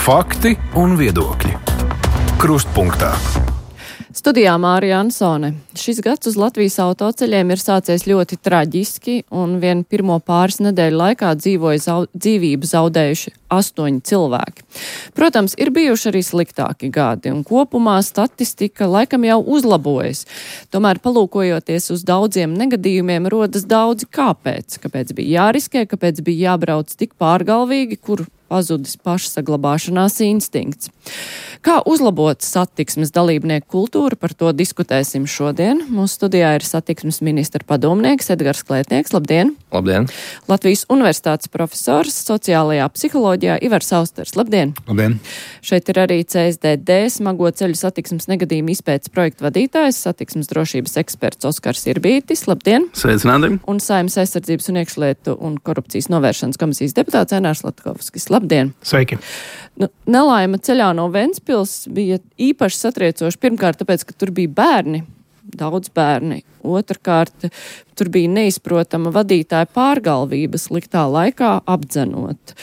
Fakti un viedokļi. Krustpunktā. Studijā Mārija Ansone. Šis gads uz Latvijas autoceļiem ir sācies ļoti traģiski, un vien pirmo pāris nedēļu laikā dzīvību zaudējuši 8 cilvēki. Protams, ir bijuši arī sliktāki gadi, un kopumā statistika laikam jau uzlabojas. Tomēr, palūkojoties uz daudziem negadījumiem, rodas daudzi kāpēc. Kāpēc bija jāriskē, kāpēc bija jābrauc tik pārgalvīgi, kur pazudis pašsaglabāšanās instinkts. Kā uzlabot satiksmes dalībnieku kultūru, par to diskutēsim šodien. Mūsu studijā ir satiksmes ministra padomnieks Edgars Klētnieks. Labdien! Labdien! Latvijas Universitātes profesors sociālajā psiholoģijā Ivars Austers. Labdien! Labdien! Šeit ir arī CSDD smago ceļu satiksmes negadījumu izpētes projektu vadītājs, satiksmes drošības eksperts Oskars Irbītis. Labdien! Sveicināti! Un Saeimas aizsardzības un iekšlietu un korupcijas novēršanas komisijas deputāts Ēnārs Latkovskis. Labdien! Sveiki! Nelaime ceļā no Ventspils bija īpaši satriecoši. Pirmkārt, tāpēc, ka tur bija bērni, daudz bērni. Otrkārt, tur bija neizprotama vadītāja pārgalvība sliktā laikā apdzenot.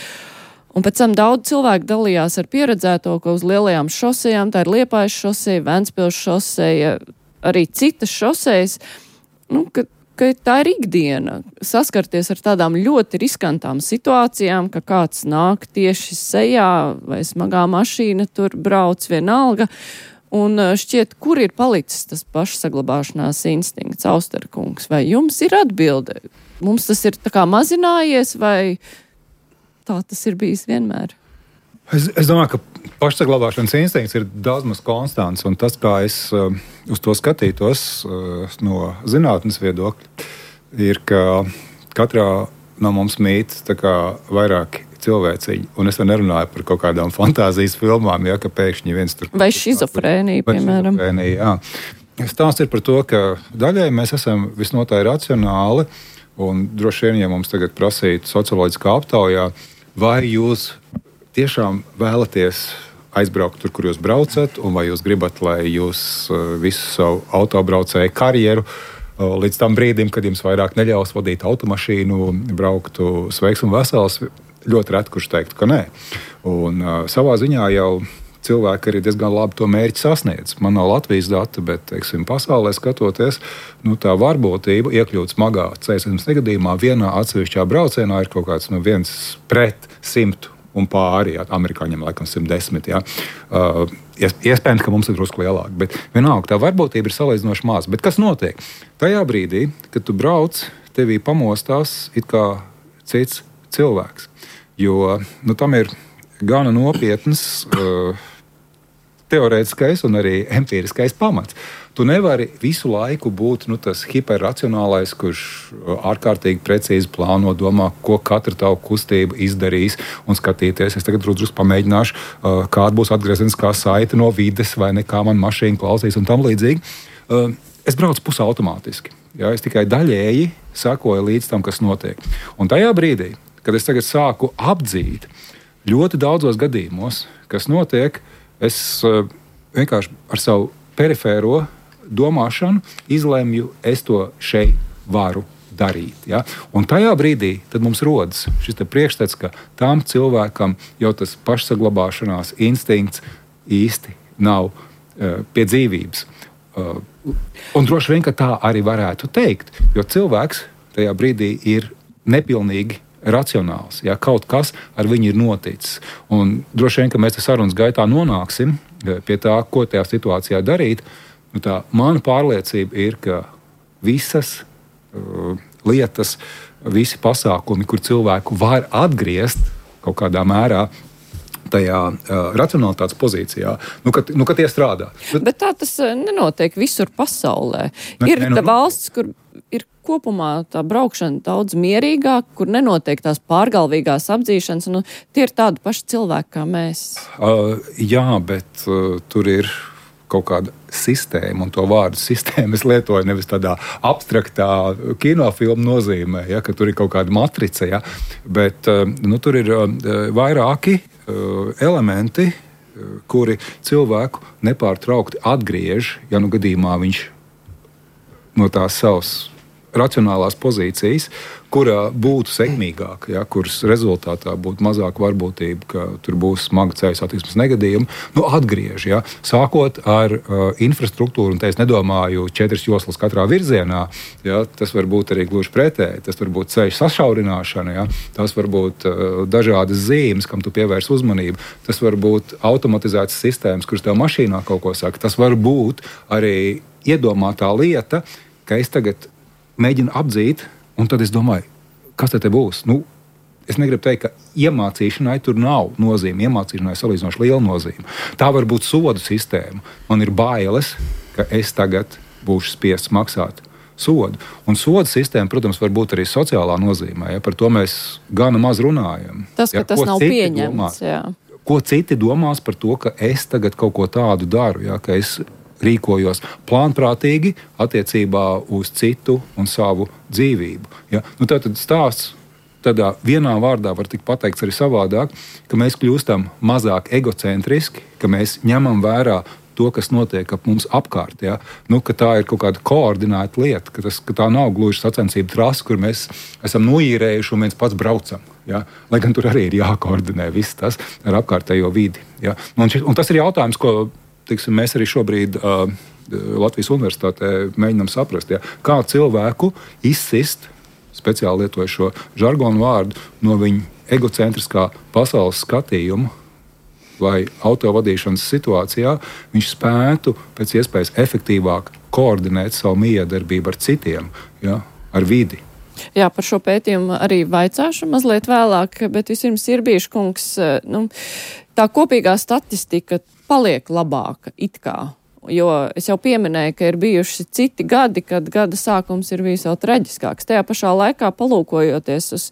Un pēc tam daudz cilvēku dalījās ar pieredzēto, ka uz lielajām šosejām, tā ir Liepājas šoseja, Ventspils šoseja, arī citas šosejas, ka tā ir ikdiena, saskarties ar tādām ļoti riskantām situācijām, ka kāds nāk tieši sejā vai smagā mašīna tur brauc vienalga, un šķiet, kur ir palicis tas pašsaglabāšanās instinkts, Austerkungs, vai jums ir atbilde? Mums tas ir tā kā mazinājies, vai tā tas ir bijis vienmēr? Es domāju, ka pašsaglabāšanas instinkts ir daudz maz konstants, un tas, kā es uz to skatītos no zinātnes viedokļa, ir, ka katrā no mums mīt vairāki cilvēciņi, un es nerunāju par kaut kādām fantāzijas filmām, ja, ka pēkšņi viens tur... Vai šizofrēnija, piemēram. Jā. Stāsts ir par to, ka daļai mēs esam visnotaļ racionāli, un droši vien, ja mums tagad prasītu socioloģiskā aptaujā, vai jūs tiešām vēlaties aizbraukt tur, kur jūs braucat, un vai jūs gribat, lai jūs visu savu autobraucēju karjeru līdz tam brīdim, kad jums vairāk neļaus vadīt automašīnu, brauktu sveiks un vesels, ļoti reti, kurš teiktu, ka nē. Un savā ziņā jau cilvēki arī diezgan labi to mērķi sasniedz. Man nav Latvijas data, bet, teiksim, pasaulē skatoties, tā varbūtība iekļūt smagā ceļsatiksmes negadījumā vienā atsevišķā braucienā ir kaut kāds 1/100 un pāri, jā, amerikāņiem laikam 110. Jā. Iespējams, ka mums ir drusku lielāk, bet vienalga tā varbūtība ir salīdzinoši maz. Bet kas notiek? Tajā brīdī, kad tu brauc, tevī pamostās it kā cits cilvēks. Jo tam ir gana nopietnas teorētiskais un arī empiriskais pamats. Tu nevari visu laiku būt tas hiperracionālais, kurš ārkārtīgi precīzi plāno, domā, ko katra tava kustība izdarīs, un skatīties. Es tagad drusku pamēģināšu, kāda būs atgriezeniskā saite no vides, vai ne, kā man mašīna klausīs un tam līdzīgi. Es braucu pusautomātiski. Ja, es tikai daļēji sekoju līdz tam, kas notiek. Un tajā brīdī, kad es tagad sāku apdzīt ļoti daudzos gadījumos, kas notiek, es vienkārši ar savu perifēro domāšanu izlemju, es to šeit varu darīt. Ja? Un tajā brīdī tad mums rodas šis priekšstats, ka tam cilvēkam jau tas pašsaglabāšanās instinkts īsti nav pie dzīvības. Un droši vien, ka tā arī varētu teikt, jo cilvēks tajā brīdī ir nepilnīgi racionāls, ja kaut kas ar viņu ir noticis. Un droši vien, ka mēs sarunas gaitā nonāksim pie tā, ko tajā situācijā darīt. Tā mana pārliecība ir, ka visas lietas, visi pasākumi, kur cilvēku var atgriezt kaut kādā mērā tajā racionalitātes pozīcijā, ka tie strādā. Bet tā tas nenotiek visur pasaulē. Ir valsts, kur ir kopumā tā braukšana daudz mierīgāk, kur nenotiek tās pārgalvīgās apdzīšanas, un tie ir tādi paši cilvēki kā mēs. Jā, bet tur ir kaut kāda sistēma, un to vārdu sistēmu es lietoju nevis tādā abstraktā kinofilmu nozīmē, ja, ka tur ir kaut kāda matrica, ja, bet tur ir vairāki elementi, kuri cilvēku nepārtraukti atgriež, ja gadījumā viņš no tās savas racionālās pozīcijas, kurā būtu sekmīgāk, ja, kuras rezultātā būtu mazāk varbūtība, ka tur būs smaga ceļu satiksmes negadījumi, atgriež. Ja, sākot ar infrastruktūru, un te es nedomāju 4 joslas katrā virzienā, ja, tas var būt arī gluži pretēji, tas var būt ceļu sašaurināšana, ja, tas var būt dažādas zīmes, kam tu pievērs uzmanību, tas var būt automatizētas sistēmas, kuras tev mašīnā kaut ko saka, tas var būt arī iedomātā lieta, ka es tagad mēģinu apdzīt, un tad es domāju, kas te būs? Es negribu teikt, ka iemācīšanai tur nav nozīme. Iemācīšanai salīdzinoši liela nozīme. Tā var būt sodu sistēma. Man ir bailes, ka es tagad būšu spiests maksāt sodu. Un sodu sistēma, protams, var būt arī sociālā nozīmē. Ja? Par to mēs gana maz runājam. Tas, ka tas nav pieņemts. Ko citi domās par to, ka es tagad kaut ko tādu daru, ja? Ka es rīkojos plānprātīgi attiecībā uz citu un savu dzīvību. Ja? Tātad stāsts tādā vienā vārdā var tikt pateikts arī savādāk, ka mēs kļūstam mazāk egocentriski, ka mēs ņemam vērā to, kas notiek ap mums apkārt. Ja? Ka tā ir kaut kāda koordinēta lieta, ka tā nav gluži sacensību trasa, kur mēs esam noīrējuši un viens pats braucam. Ja? Lai gan tur arī ir jākoordinē viss tas ar apkārtējo vidi. Ja? Un tas ir jautājums, ko mēs arī šobrīd Latvijas Universitātē mēģinām saprast, ja, kā cilvēku izsist, speciāli lietoju šo žargonu vārdu, no viņa egocentriskā pasaules skatījuma, lai autovadīšanas situācijā viņš spētu pēc iespējas efektīvāk koordinēt savu miedarbību ar citiem, ja, ar vidi. Jā, par šo pētījumu arī vaicāšu mazliet vēlāk, bet vispirms ir bijuši, kungs, tā kopīgā statistika paliek labāka it kā, jo es jau pieminēju, ka ir bijuši citi gadi, kad gada sākums ir bijis vēl traģiskāks. Tajā pašā laikā palūkojoties uz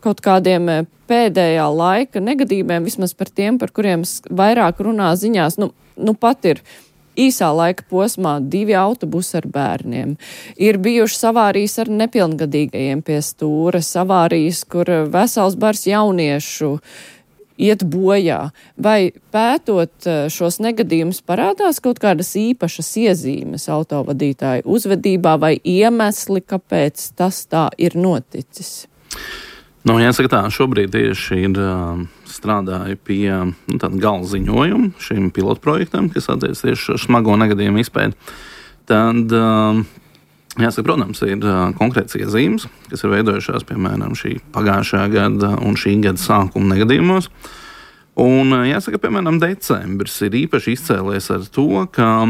kaut kādiem pēdējā laika negadījumiem, vismaz par tiem, par kuriem vairāk runā ziņās, pat ir īsā laika posmā 2 autobusi ar bērniem. Ir bijušas avārijas ar nepilngadīgajiem pie stūres, avārijas, kur vesels bars jauniešu iet bojā. Vai pētot šos negadījumus parādās kaut kādas īpašas iezīmes autovadītāju uzvedībā vai iemesli, kāpēc tas tā ir noticis? Jāsaka tā, šobrīd tieši ir strādāju pie tāda gala ziņojuma šim pilotprojektam, kas attiecas tieši ar smago negadījumu izpēti. Tad, jāsaka, protams, ir konkrēts iezīmes, kas ir veidojušās, piemēram, šī pagājušā gada un šī gada sākuma negadījumos. Un, jāsaka, piemēram, decembris ir īpaši izcēlies ar to, ka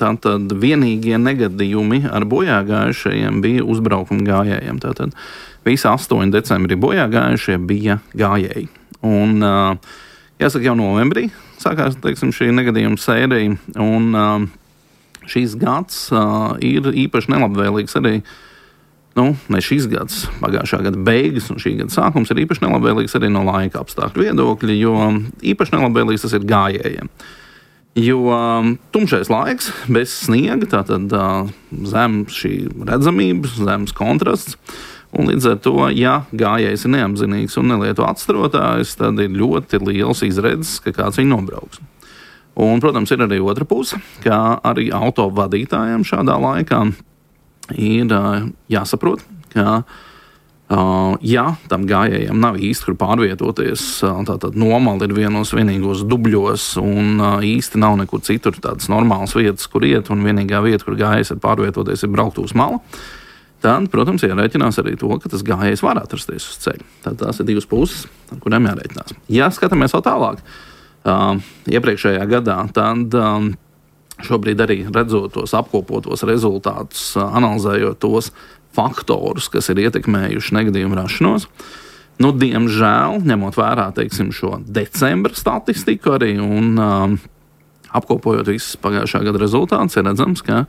tātad vienīgie negadījumi ar bojāgājušajiem bija uzbraukuma gājējiem. Tātad visi 8 decembrī bojāgājušie bija gājēji. Un, jāsaka, jau novembrī sākās, teiksim, šī negadījuma sērija, un šīs gads ir īpaši nelabvēlīgs arī. Ne šis gads, pagājušā gada beigas un šī gada sākums ir īpaši nelabvēlīgs arī no laika apstākļu viedokļa, jo īpaši nelabvēlīgs tas ir gājējiem. Jo tumšais laiks, bez sniega, tātad zems šī redzamība, zems kontrasts, un līdz ar to, ja gājējs ir neapzinīgs un nelieto atstrotājs, tad ir ļoti liels izredzes, ka kāds viņu nobrauks. Un, protams, ir arī otra puse, ka arī autovadītājiem šādā laikā ir jāsaprot, ka, ja tam gājējiem nav īsti, kur pārvietoties, tātad nomali ir vienos vienīgos dubļos un īsti nav nekur citur tādas normālas vietas, kur iet, un vienīgā vieta, kur gājējs ir pārvietoties, ir braukt uz malu, tad, protams, jārēķinās arī to, ka tas gājējs var atrasties uz ceļa. Tad tās ir 2 puses, ar kurām jārēķinās. Ja skatāmies vēl tālāk, iepriekšējā gadā, tad šobrīd arī redzot tos apkopotos rezultātus, analizējot tos faktorus, kas ir ietekmējuši negadījumu rašanos, diemžēl, ņemot vērā, teiksim, šo decembra statistiku arī un apkopojot visus pagājušā gada rezultātus, ir redzams, ka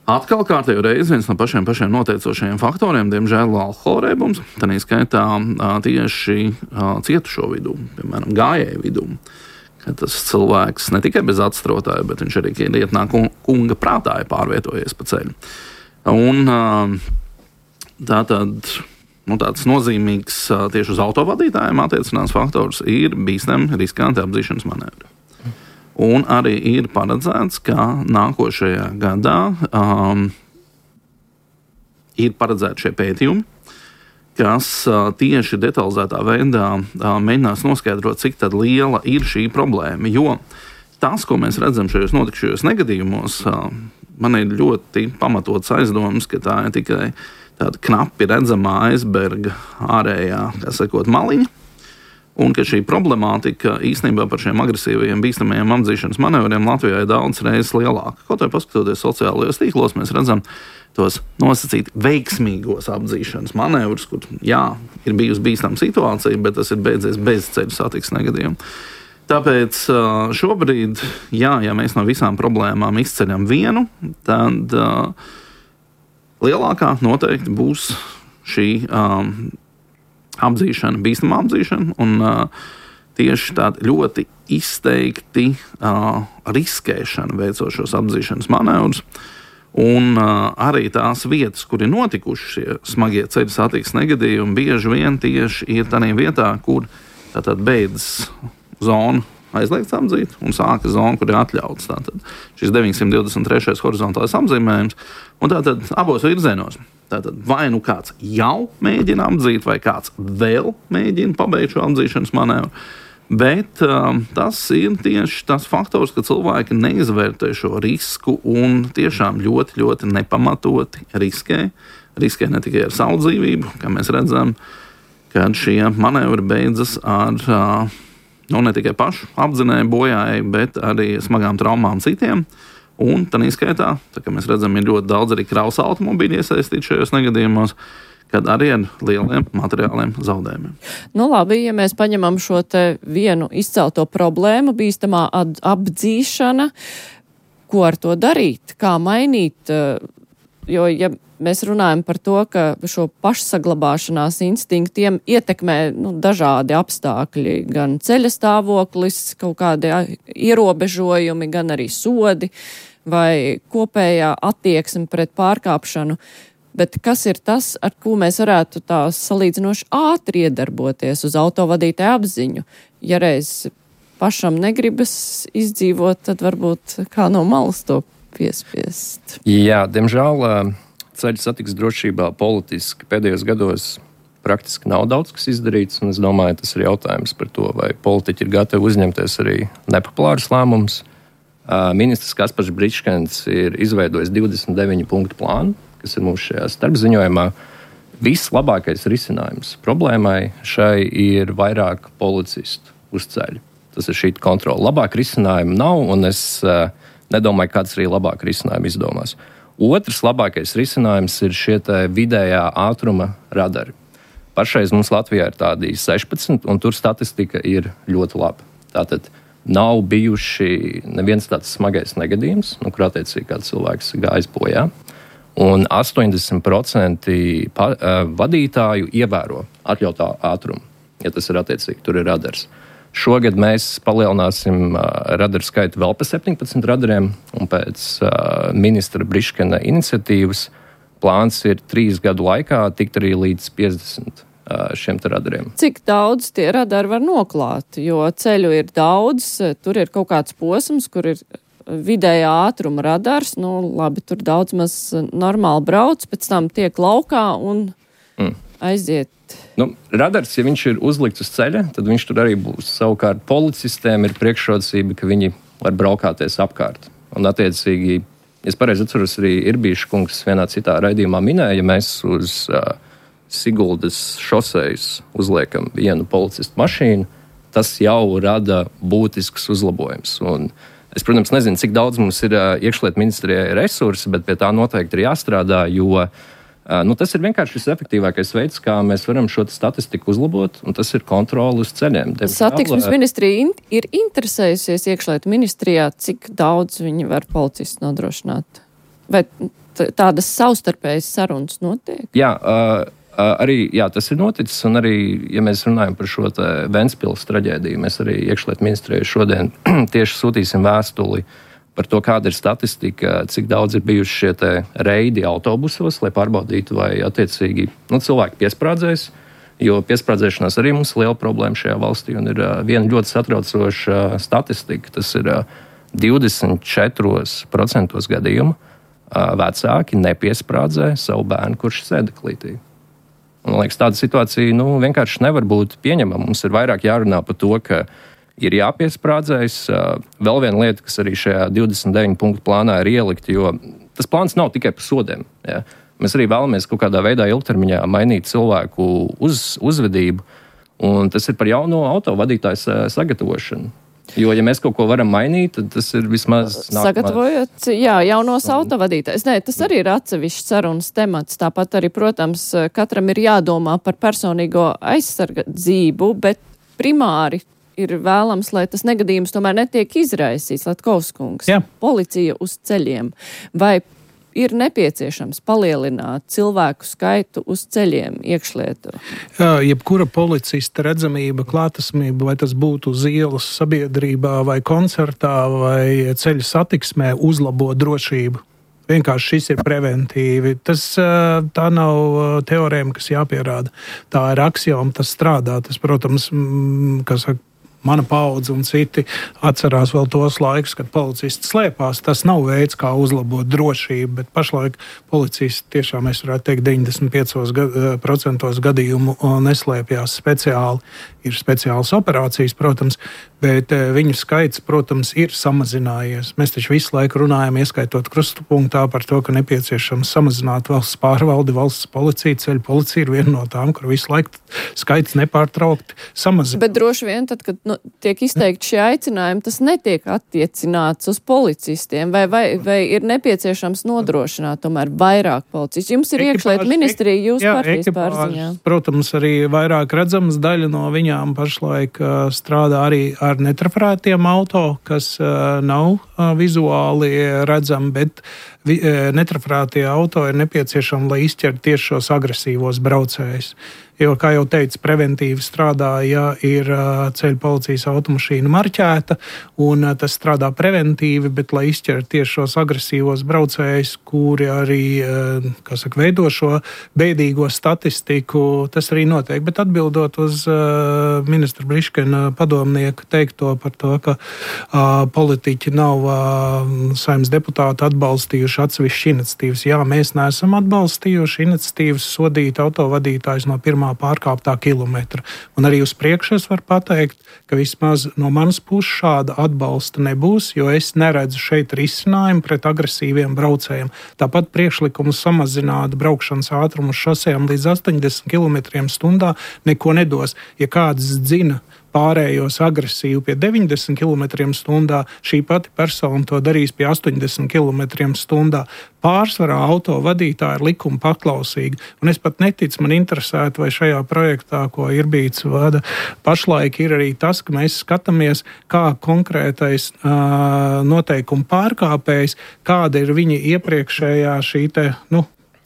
atkal kārtējo reizi viens no pašiem noteicošajiem faktoriem, diemžēl, alkohola reibums, tā skaitā tieši cietušo vidū, piemēram, gājēju vidū. Ka tas cilvēks ne tikai bez atstrotāja, bet viņš arī lietnā kunga prātā ir pārvietojies pa ceļu. Un tāds nozīmīgs tieši uz autovadītājiem attiecinās faktors ir bīstami riskanti apdzīšanas manevri. Un arī ir paredzēts, ka nākošajā gadā ir paredzēti šie pētījumi, kas tieši detalizētā veidā mēģinās noskaidrot, cik tad liela ir šī problēma. Jo tas, ko mēs redzam šajos notikušajos negadījumos, man ir ļoti pamatots aizdoms, ka tā ir tikai tāda knapi redzamā aizberga ārējā, kā sakot, maliņa, un ka šī problemātika īstenībā par šiem agresīvajiem, bīstamajiem apdzīšanas manevriem Latvijā ir daudz reizes lielāka. Kaut arī paskatoties sociālajos tīklos, mēs redzam tos nosacīt veiksmīgos apdzīšanas manevrus, kur, jā, ir bijusi bīstama situācija, bet tas ir beidzies bez ceļu satiksmes negadījuma. Tāpēc šobrīd, ja mēs no visām problēmām izceļam vienu, tad lielākā noteikti būs šī apdzīšana, bīstama apdzīšana, un tieši tāda ļoti izteikti riskēšana veicot šos apdzīšanas manevrus, un arī tās vietas, kur ir notikuši šie smagie ceļu satiksmes negadījumi, bieži vien tieši ir tādā vietā, kur tātad beidzas zona aizliegts apdzīt un sāka zona, kur ir atļauts. Tātad šis 923. horizontālais apzīmējums, un tātad abos virzienos. Tātad vai nu kāds jau mēģina apdzīt, vai kāds vēl mēģina pabeigt šo apdzīšanas manevru, bet tas ir tieši tas faktors, ka cilvēki neizvērtē šo risku un tiešām ļoti, ļoti nepamatoti riskē. Riskē ne tikai ar savu dzīvību, kā mēs redzam, kad šie manevri beidzas ar ne tikai pašu apdzinēju bojāju, bet arī smagām traumām citiem. Un tā izskaitā, tā kā mēs redzam, ir ļoti daudz arī krausa automobīļu iesaistīti šajos negadījumos, kad arī ar lieliem materiāliem zaudējumiem. Nu labi, ja mēs paņemam šo te vienu izcelto problēmu, bīstamā apdzīšana, ko ar to darīt, kā mainīt, jo ja mēs runājam par to, ka šo pašsaglabāšanās instinktiem ietekmē dažādi apstākļi, gan ceļa stāvoklis, kaut kādi ierobežojumi, gan arī sodi vai kopējā attieksme pret pārkāpšanu. Bet kas ir tas, ar ko mēs varētu tā salīdzinoši ātri iedarboties uz autovadītāju apziņu? Ja reiz pašam negribas izdzīvot, tad varbūt kā no malas to piespiest. Jā, diemžēl ceļu satiksmes drošībā politiski pēdējos gados praktiski nav daudz kas izdarīts, un es domāju, tas ir jautājums par to, vai politiķi ir gatavi uzņemties arī nepopulārus lēmumus. Ministrs Kaspars Bričkens ir izveidojis 29 punktu plānu, kas ir mums šajā starpziņojumā. Vislabākais risinājums problēmai šai ir vairāk policistu uz ceļa. Tas ir šī kontrola. Labāk risinājumu nav, un es nedomāju, kāds arī labāk risinājumu izdomās. Otrs labākais risinājums ir šie vidējā ātruma radari. Pašreiz mums Latvijā ir tādi 16, un tur statistika ir ļoti laba. Tātad nav bijuši neviens tāds smagais negadījums, kur attiecīgi kāds cilvēks gājis bojā. Un 80% vadītāju ievēro atļautā ātrumu, ja tas ir attiecīgi, tur ir radars. Šogad mēs palielināsim radaru skaitu vēl pa 17 radariem, un pēc ministra Briškena iniciatīvas plāns ir 3 gadu laikā tikt arī līdz 50 šiem radariem. Cik daudz tie radari var noklāt? Jo ceļu ir daudz, tur ir kaut kāds posms, kur ir vidējā ātruma radars, labi, tur daudz maz normāli brauc, pēc tam tiek laukā un aiziet. Radars, ja viņš ir uzlikts uz ceļa, tad viņš tur arī būs. Savukārt policistiem ir priekšrocība, ka viņi var braukāties apkārt. Un attiecīgi, ja es pareizi atceros, arī Irbīša kungs vienā citā raidījumā minēja, ja mēs uz Siguldas šosejas uzliekam vienu policistu mašīnu, tas jau rada būtisks uzlabojums. Un es, protams, nezinu, cik daudz mums ir iekšlietu ministrijai resursi, bet pie tā noteikti ir jāstrādā, jo tas ir vienkārši šis efektīvākais veids, kā mēs varam šo statistiku uzlabot, un tas ir kontroli uz ceļiem. Satiksmes ministrija ir interesējusies iekšlietu ministrijā, cik daudz viņi var policistu nodrošināt? Vai tādas savstarpējas sarunas notiek? Jā, arī tas ir noticis, un arī, ja mēs runājam par šo Ventspils traģēdiju, mēs arī iekšlietu ministrijai šodien tieši sūtīsim vēstuli par to, kāda ir statistika, cik daudz ir bijuši šie reidi autobusos, lai pārbaudītu, vai attiecīgi cilvēki piesprādzēs, jo piesprādzēšanās arī mums ir liela problēma šajā valstī, un ir viena ļoti satraucoša statistika, tas ir 24% gadījumu. vecāki nepiesprādzē savu bērnu, kurš sēdeklītī. Man liekas, tāda situācija vienkārši nevar būt pieņemama. Mums ir vairāk jārunā par to, ka ir jāpiesprādzējas. Vēl viena lieta, kas arī šajā 29 punktu plānā ir ielikta, jo tas plāns nav tikai par sodiem. Ja? Mēs arī vēlamies kaut kādā veidā ilgtermiņā mainīt cilvēku uzvedību, un tas ir par jauno autovadītāju sagatavošanu. Jo, ja mēs kaut ko varam mainīt, tad tas ir vismaz sagatavojot, jaunos autovadītājs. Nē, tas arī ir atsevišķs sarunas temats. Tāpat arī, protams, katram ir jādomā par personīgo aizsardzību, bet primāri ir vēlams, lai tas negadījums tomēr netiek izraisīts. Latkovskungs, policija uz ceļiem. Vai ir nepieciešams palielināt cilvēku skaitu uz ceļiem iekšlietu? Jebkura policista redzamība, klātesamība, vai tas būtu uz ielas sabiedrībā, vai koncertā, vai ceļu satiksmē, uzlabo drošību. Vienkārši šis ir preventīvi. Tā nav teorēma, kas jāpierāda. Tā ir aksioma, tas strādā. Tas, protams, mana paudze un citi atcerās vēl tos laikus, kad policisti slēpās. Tas nav veids, kā uzlabot drošību, bet pašlaik policisti tiešām, es varētu teikt, 95% gadījumu neslēpjās speciāli. Ir speciālas operācijas, protams, bet viņu skaits, protams, ir samazinājies. Mēs taču visu laiku runājam, ieskaitot krustpunktā par to, ka nepieciešams samazināt valsts pārvaldi, valsts policija, ceļu policija ir viena no tām, kur visu laiku skaits nepārtraukti samazinās. Bet droši vien tad, kad tiek izteikti šie aicinājumi, tas netiek attiecināts uz policistiem, vai ir nepieciešams nodrošināt tomēr vairāk policistu? Jums ir iekšlietu ministrija, jūs partijas pārziņā. Protams, arī vairāk redzams, daļa no viņām pašlaik strādā arī ar netrafrētiem auto, kas nav vizuāli redzami, bet netrafrētie auto ir nepieciešami, lai izķertu tieši šos agresīvos braucējus. Jo, kā jau teicu, preventīvi strādā, ja ir ceļu policijas automašīna marķēta, un tas strādā preventīvi, bet, lai izķertu tieši šos agresīvos braucējus, kuri arī, veido šo bēdīgo statistiku, tas arī notiek. Bet atbildot uz ministra Briškena padomnieku teikto par to, ka politiķi nav Saeimas deputāti atbalstījuši atsevišķi iniciatīvas. Jā, mēs neesam atbalstījuši iniciatīvas sodīt autovadītājus no pirmā pārkāptā kilometra. Un arī uz priekšu es varu pateikt, ka vismaz no manas puses šāda atbalsta nebūs, jo es neredzu šeit risinājumu pret agresīviem braucējiem. Tāpat priekšlikums samazināt braukšanas ātrumu uz šosejām līdz 80 km/h neko nedos. Ja kāds dzina pārējos agresīvi pie 90 km/h, šī pati persona to darīs pie 80 km/h. Pārsvarā auto vadītāji ir likuma paklausīgi. Un es pat neticu, man interesētu, vai šajā projektā, ko Irbīts vada, pašlaik ir arī tas, ka mēs skatāmies, kā konkrētais noteikuma pārkāpējs, kāda ir viņa iepriekšējā šī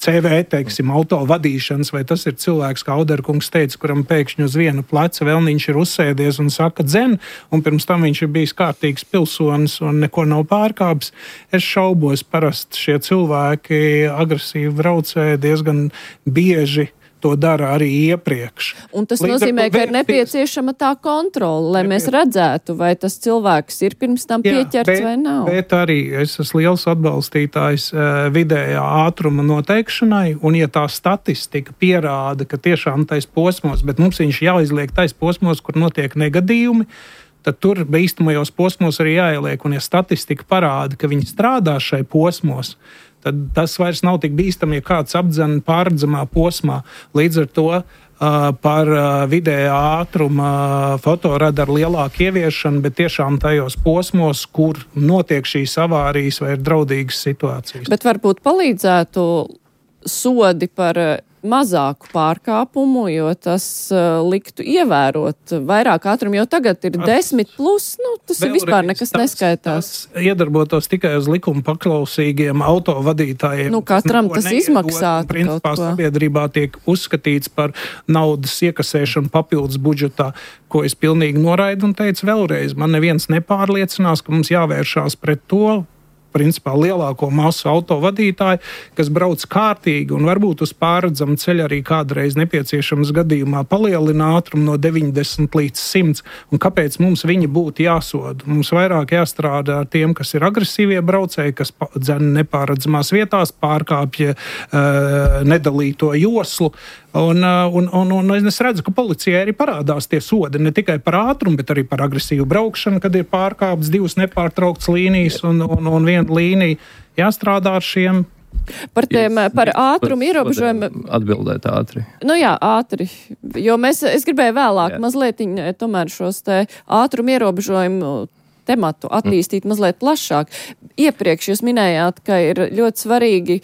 CV, teiksim, auto vadīšanas, vai tas ir cilvēks, kā Auderkungs teica, kuram pēkšņi uz viena pleca vēlniņš ir uzsēdies un saka dzen, un pirms tam viņš ir bijis kārtīgs pilsonis un neko nav pārkāpis. Es šaubos, parasti šie cilvēki agresīvi braucēji diezgan bieži to dara arī iepriekš. Un tas nozīmē, ka ir nepieciešama tā kontrole, lai mēs redzētu, vai tas cilvēks ir pirms tam pieķerts vai nav. Bet arī es esmu liels atbalstītājs vidējā ātruma noteikšanai, un ja tā statistika pierāda, ka tiešām tais posmos, bet mums viņš jāizliek tais posmos, kur notiek negadījumi, tad tur bīstamajos posmos arī jāieliek, un ja statistika parāda, ka viņi strādā šai posmos, tad tas vairs nav tik bīstami, ja kāds apdzen pārredzamā posmā. Līdz ar to par vidējā ātruma fotoradaru lielāku ieviešanu, bet tiešām tajos posmos, kur notiek šīs avārijas vai ir draudīgas situācijas. Bet varbūt palīdzētu sodi par mazāku pārkāpumu, jo tas liktu ievērot vairāk ātrumu, jo tagad ir 10+, tas ir vispār nekas neskaitās. Tas iedarbotos tikai uz likuma paklausīgiem autovadītājiem. Katram tas izmaksātu. Principā sabiedrībā tiek uzskatīts par naudas iekasēšanu papildus budžetā, ko es pilnīgi noraidu un teicu vēlreiz. Man neviens nepārliecinās, ka mums jāvēršās pret to, principā lielāko masu autovadītāju, kas brauc kārtīgi un varbūt uz pārredzamu ceļu arī kādreiz nepieciešams gadījumā palielina ātrumu no 90 līdz 100. Un kāpēc mums viņi būtu jāsoda? Mums vairāk jāstrādā ar tiem, kas ir agresīvie braucēji, kas dzen nepārredzamās vietās, pārkāpja nedalīto joslu. Un es redzu, ka policijai arī parādās tie sodi ne tikai par ātrumu, bet arī par agresīvu braukšanu, kad ir pārkāpts 2 nepārtrauktas līnijas un 1 līnija. Jāstrādā ar šiem. Par ātrumu ierobežojumu. Atbildēt ātri. Nu jā, ātri. Jo es gribēju vēlāk mazliet tomēr šos te ātrumu ierobežojumu tematu attīstīt mazliet plašāk. Iepriekš jūs minējāt, ka ir ļoti svarīgi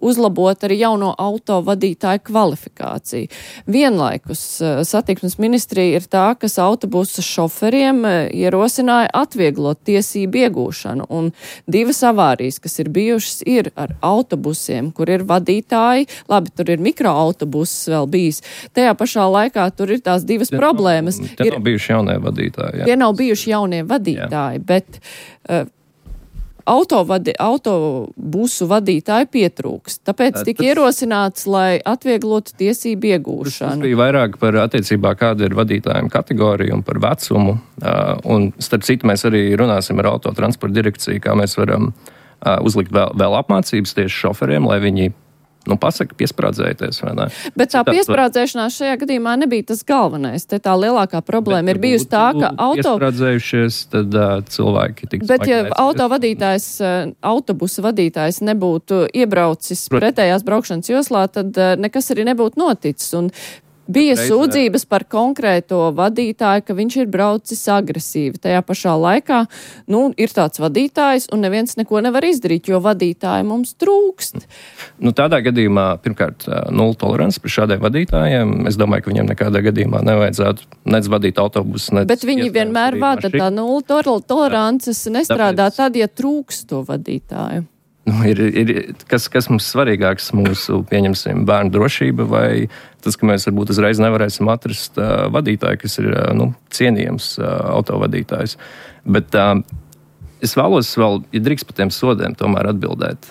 uzlabot arī jauno autovadītāju kvalifikāciju. Vienlaikus satiksmes ministrija ir tā, kas autobusu šoferiem ierosināja atvieglot tiesību iegūšanu. Un 2 avārijas, kas ir bijušas, ir ar autobusiem, kur ir vadītāji. Labi, tur ir mikroautobuss vēl bijis. Autobusā pašā laikā tur ir tās 2 problēmas. Tie nav bijuši jaunie vadītāji. Tie nav bijuši jaunie vadītāji. Bet autobusu vadītāji pietrūks. Tāpēc tika ierosināts, lai atvieglotu tiesību iegūšanu. Tas bija vairāk par attiecībā, kāda ir vadītājiem kategorija un par vecumu. Un starp citu, mēs arī runāsim ar autotransporta direkciju, kā mēs varam uzlikt vēl apmācības tieši šoferiem, lai viņi pasaka, piesprādzējieties, vai ne? Bet tā piesprādzēšanās šajā gadījumā nebija tas galvenais. Te tā lielākā problēma ir bijusi tā, ka piesprādzējušies, tad cilvēki tiks bet ja autobusa vadītājs nebūtu iebraucis pretējās braukšanas joslā, tad nekas arī nebūtu noticis. Un bija sūdzības par konkrēto vadītāju, ka viņš ir braucis agresīvi. Tajā pašā laikā, ir tāds vadītājs un neviens neko nevar izdarīt, jo vadītāji mums trūkst. Tādā gadījumā, pirmkārt, nulle tolerants par šādiem vadītājiem. Es domāju, ka viņiem nekādā gadījumā nevajadzētu nec vadīt autobusu, nec. Bet viņi vienmēr vada tā nulle tolerances nestrādā tad, ja trūkst to vadītāju. Kas mums svarīgāks, mūsu, pieņemsim, bērnu drošība vai tas, ka mēs varbūt uzreiz nevarēsim atrast vadītāju, kas ir cienījams autovadītājs. Bet es vēlos vēl, ja drīkst par tiem sodiem, tomēr atbildēt.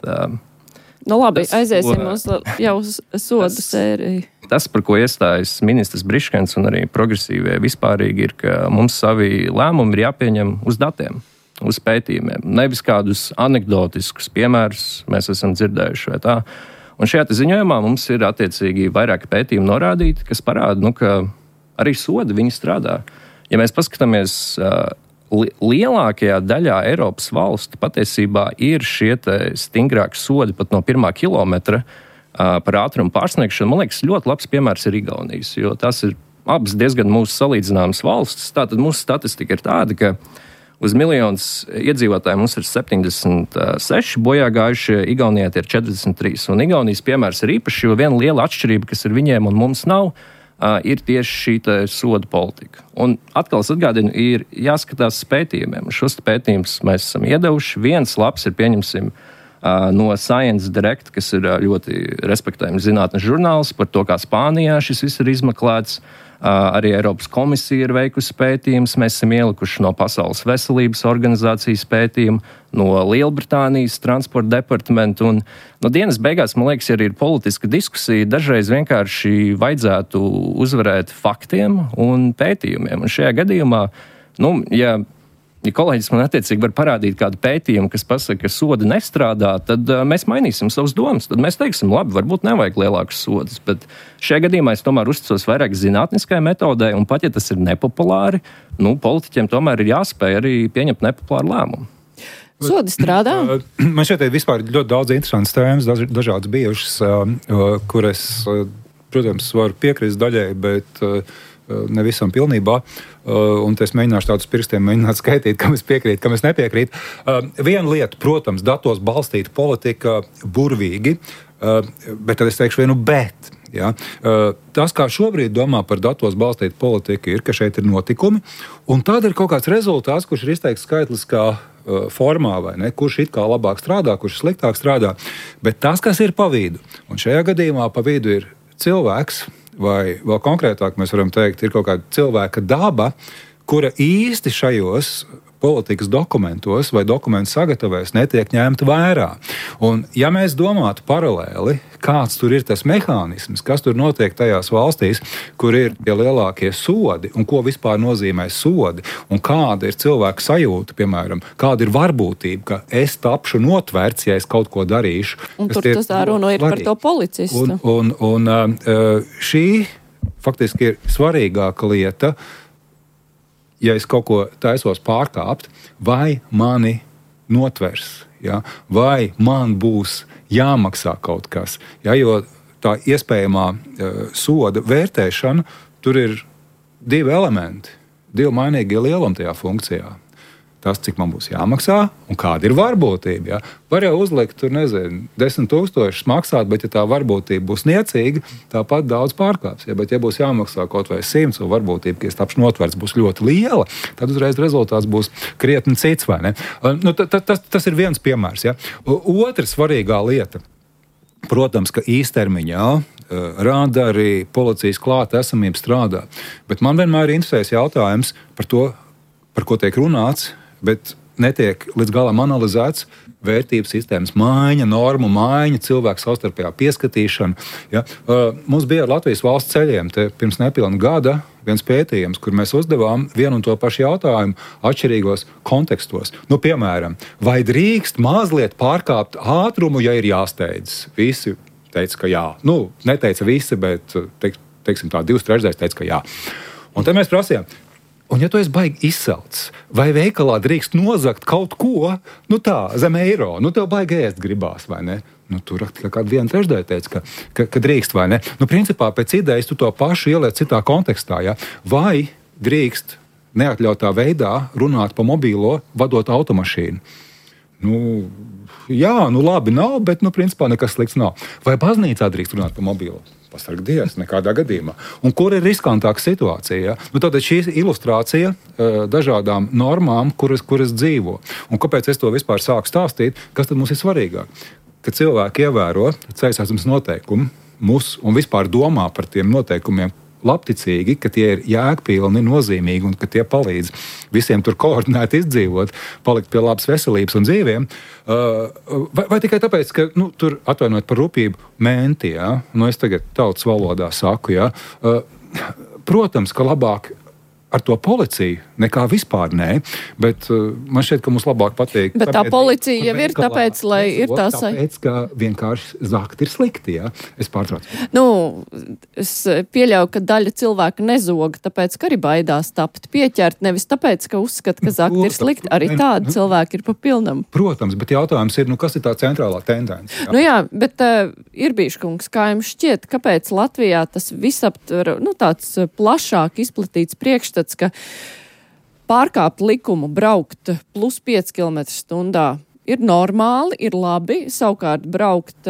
Labi, aiziesim uz jau sodu sēriju. Tas, par ko iestājas ministrs Briškens un arī progresīvie vispārīgi, ir, ka mums savi lēmumi ir jāpieņem uz datiem. Uz pētījumiem. Nevis kādus anekdotiskus piemērus mēs esam dzirdējuši vai tā. Un šajā ziņojumā mums ir attiecīgi vairāki pētījumi norādīti, kas parāda, ka arī sodi viņi strādā. Ja mēs paskatāmies, lielākajā daļā Eiropas valstu patiesībā ir šie stingrāki sodi pat no 1. kilometra par ātrumu pārsniegšanu. Man liekas, ļoti labs piemērs ir Igaunijas, jo tas ir abas diezgan mūsu salīdzināmas valstis. Tātad mūsu statistika ir tāda, ka uz miljonus iedzīvotāju mums ir 76 bojā gājušie, Igaunijā tie ir 43. Un Igaunijas piemērs ir īpaši, jo viena liela atšķirība, kas ir viņiem un mums nav, ir tieši šī soda politika. Un atkal es atgādinu, ir jāskatās pētījumiem. Šos pētījumus mēs esam iedevuši. Viens labs ir, pieņemsim, no Science Direct, kas ir ļoti respektējams zinātnes žurnāls par to, kā Spānijā šis viss ir izmeklēts. Arī Eiropas komisija ir veikusi pētījumus. Mēs esam ielikuši no Pasaules veselības organizācijas pētījumu, no Lielbritānijas transporta departamenta. Un no dienas beigās, man liekas, arī ir politiska diskusija. Dažreiz vienkārši vajadzētu uzvarēt faktiem un pētījumiem. Un šajā gadījumā, ja kolēģis man attiecīgi var parādīt kādu pētījumu, kas pasaka, ka sodi nestrādā, tad mēs mainīsim savus domas. Tad mēs teiksim, labi, varbūt nevajag lielākus sodus. Bet šajā gadījumā es tomēr uzticos vairāk zinātniskai metodē, un pat ja tas ir nepopulāri, politiķiem tomēr ir jāspēj arī pieņemt nepopulāru lēmumu. Sodi strādā? Man šeit ir vispār ļoti daudz interesantas tēmas, dažādas bijušas, kuras, protams, varu piekrist daļai, bet nevisam pilnībā. Un es mēģināšu tādus pirkstiem skaitīt, kam es piekrītu, kam es nepiekrītu. Viena lieta, protams, datos balstīta politika burvīgi, bet tad es teikšu vienu bet. Ja? Tas, kā šobrīd domā par datos balstītu politiku, ir, ka šeit ir notikumi, un tad ir kaut kāds rezultāts, kurš ir izteikts skaitliskā formā, vai ne? Kurš it kā labāk strādā, kurš sliktāk strādā, bet tas, kas ir pa vidu, un šajā gadījumā pa vidu ir cilvēks, vai vēl konkrētāk mēs varam teikt, ir kaut kāda cilvēka daba, kura īsti šajos politikas dokumentos vai dokumentu sagatavojas netiek ņemta vērā. Un, ja mēs domātu paralēli, kāds tur ir tas mehānisms, kas tur notiek tajās valstīs, kur ir tie lielākie sodi un ko vispār nozīmē sodi un kāda ir cilvēka sajūta, piemēram, kāda ir varbūtība, ka es tapšu notverts, ja es kaut ko darīšu. Un tur tas runa ir par to policistu. Un šī faktiski ir svarīgāka lieta, ja es kaut ko taisos pārkāpt, vai mani notvers, ja? Vai man būs jāmaksā kaut kas. Ja? Jo tā iespējamā soda vērtēšana, tur ir 2 elementi, 2 mainīgie lielumi tajā funkcijā. Tas, cik man būs jāmaksā un kāda ir varbūtība. Ja? Var jau uzlikt, tur nezinu, 10 000 maksāt, bet ja tā varbūtība būs niecīga, tāpat daudz pārkāps. Ja? Bet ja būs jāmaksā kaut vai 100 un varbūtība, ka es tapšu notverts, būs ļoti liela, tad uzreiz rezultāts būs krietni cits, vai ne? Nu, tas ir viens piemērs. Ja? Otra svarīgā lieta. Protams, ka īstermiņā rādari policijas klāta esamība strādā. Bet man vienmēr interesēs jautājums par to, par ko tiek runāts, bet netiek līdz galam analizēts vērtības sistēmas maiņa, normu maiņa, cilvēku savstarpējā pieskatīšana. Ja? Mums bija ar Latvijas valsts ceļiem pirms nepilna gada viens pētījums, kur mēs uzdevām vienu un to pašu jautājumu atšķirīgos kontekstos. Nu, piemēram, vai drīkst mazliet pārkāpt ātrumu, ja ir jāsteidzas? Visi teica, ka jā. Nu, neteica visi, bet teiksim tā, 2/3 teica, ka jā. Un tad mēs prasījām, un ja tu esi baigi izsalcis, vai veikalā drīkst nozagt kaut ko, nu tā, zem eiro, nu tev baigi ēst gribās, vai ne? Nu, tur kāda 1/3 teica, ka drīkst, vai ne? Nu, principā pēc idejas tu to pašu ieliec citā kontekstā, ja? Vai drīkst neatļautā veidā runāt pa mobīlo, vadot automašīnu? Nu, jā, nu labi nav, bet, nu, principā nekas slikts nav. Vai baznīcā drīkst runāt pa mobīlo? Pasarg Dievs, nekādā gadījumā. Un kur ir riskantāka situācija? Ja? Nu, tātad šī ilustrācija dažādām normām, kuras dzīvo. Un kāpēc es to vispār sāku stāstīt? Kas tad mums ir svarīgāk? Ka cilvēki ievēro ceļu satiksmes noteikumus un vispār domā par tiem noteikumiem labticīgi, ka tie ir jēgpilni, nozīmīgi un ka tie palīdz visiem tur koordinēti izdzīvot, palikt pie labas veselības un dzīviem. Vai tikai tāpēc, ka tur atvainojot par rupību menti, ja? Nu, es tagad tautas valodā saku, ja? Protams, ka labāk ar to policiju nekā vispār nē, bet man šķiet, ka mums labāk patīk. Bet tā policija jau ir tāpēc, lai ir tās... Tāpēc, ka vienkārši zakt ir slikti, jā? Es pārtraucu. Nu, es pieļauju, ka daļa cilvēka nezog, tāpēc, ka arī baidās tapt pieķert, nevis tāpēc, ka uzskata, ka zakt ir slikti. Arī tādi cilvēki ir pa pilnam. Protams, bet jautājums ir, kas ir tā centrālā tendence? Jā? Nu jā, bet Irbīškungs, kā jums šķiet, kāpēc Latvijā tas visaptver, tāds plašāk izplatīts priekšstats, ka pārkāpt likumu, braukt plus 5 km/h ir normāli, ir labi, savukārt braukt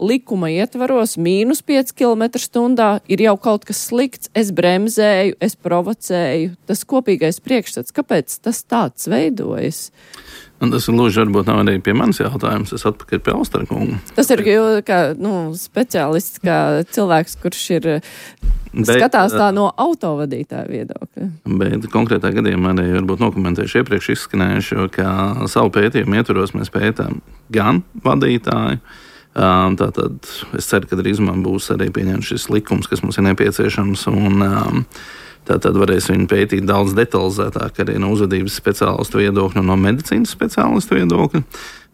likuma ietvaros mīnus 5 km/h ir jau kaut kas slikts, es bremzēju, es provocēju, tas kopīgais priekšstats, kāpēc tas tāds veidojas? Un tas ir lūdzu, varbūt nav arī pie manis jautājums, es atpakaļ pie Austera kunga. Tas ir kā speciālists, kā cilvēks, kurš ir skatās tā no autovadītāja viedokļa. Bet konkrētā gadījumā arī varbūt nokomentējuši iepriekš izskanējuši, ka savu pētījumu ietvaros mēs pētām gan vadītāju. Tātad es ceru, ka drīzumā būs arī pieņemts šis likums, kas mums ir nepieciešams, un tātad varēs viņu pētīt daudz detalizētāk arī no uzvedības speciālistu viedokļa un no medicīnas speciālistu viedokļa.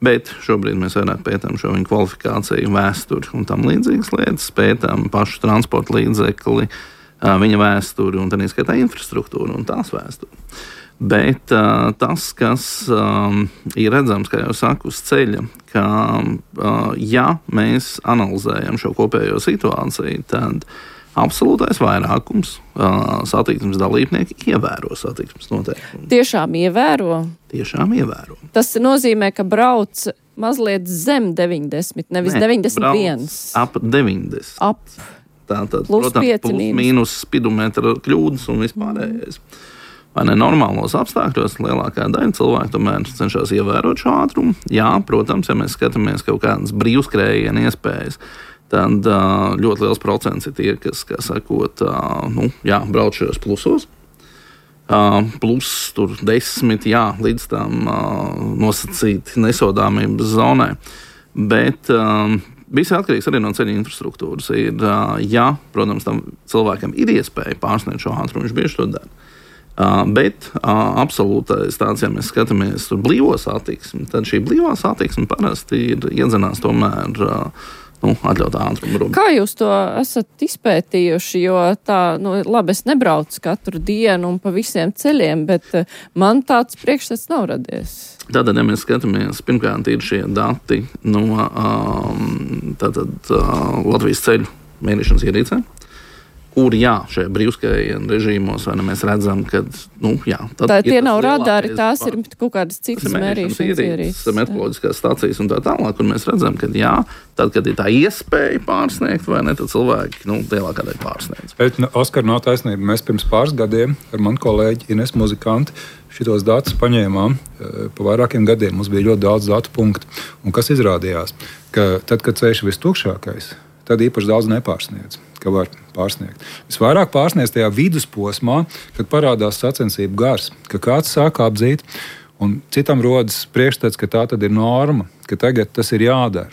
Bet šobrīd mēs vairāk pētām šo viņu kvalifikāciju, vēsturi un tam līdzīgas lietas, pētām pašu transporta līdzekli, viņa vēsturi un tā neskaitā infrastruktūru un tās vēsturi. Bet tas, kas ir redzams, kā jau saku, uz ceļa, ka ja mēs analizējam šo kopējo situāciju, tad absolūtais vairākums satiksmes dalībnieki ievēro satiksmes noteikumus. Tiešām ievēro? Tiešām ievēro. Tas nozīmē, ka brauc mazliet zem 90, nevis 91. Ap 90. Tātad, plus protams, 5 plus mīnus spidometra kļūdas un vispārējais. Vai ne normālos apstākļos lielākā daļa cilvēku tomēr cenšas ievērot šo ātrumu? Jā, protams, ja mēs skatāmies kaut kādas brīvskrējiena iespējas, tad ļoti liels procents ir tie, kas, kā sakot, brauc šajos plusos. plus tur 10, līdz tam nosacīti nesodāmības zonai. Bet viss atkarīgs arī no ceļa infrastruktūras. Protams, tam cilvēkam ir iespēja pārsniegt šo ātrumu, viņš bieži to dara. Bet absolūtais tāds, ja mēs skatāmies uz blīvo satiksmi, tad šī blīvā satiksme parasti ir iedzenās tomēr atļautā ātruma robežā. Kā jūs to esat izpētījuši? Jo tā, labi, es nebraucu katru dienu un pa visiem ceļiem, bet man tāds priekšstats nav radies. Tātad, ja mēs skatāmies, pirmkārt ir šie dati no Latvijas ceļu mērīšanas ierīcēm, kur, šajā brīvskrējiena režīmos, vai ne, mēs redzam, ka, tie nav radari, tās ir kaut kādas citas mērīšanas ierīces. Meteoroloģiskās stācijas un tā tālāk, kur mēs redzam, ka, tad, kad ir tā iespēja pārsniegt, vai ne, tad cilvēki, lielākā daļa pārsniedz. Bet, Oskar, nav taisnība. Mēs pirms pāris gadiem ar manu kolēģi Ines Muzikanti šitos datus paņēmām. Pa vairākiem gadiem mums bija ļoti daudz datu punktu. Un kas izrādījās? Ka tad, kad ceļš ir vistukšākais, tad īpaši daudz nepārsniedz, ka var pārsniegt. Visvairāk pārsniedz tajā vidusposmā, kad parādās sacensību gars, ka kāds sāk apdzīt, un citam rodas priekšstats, ka tā tad ir norma, ka tagad tas ir jādara.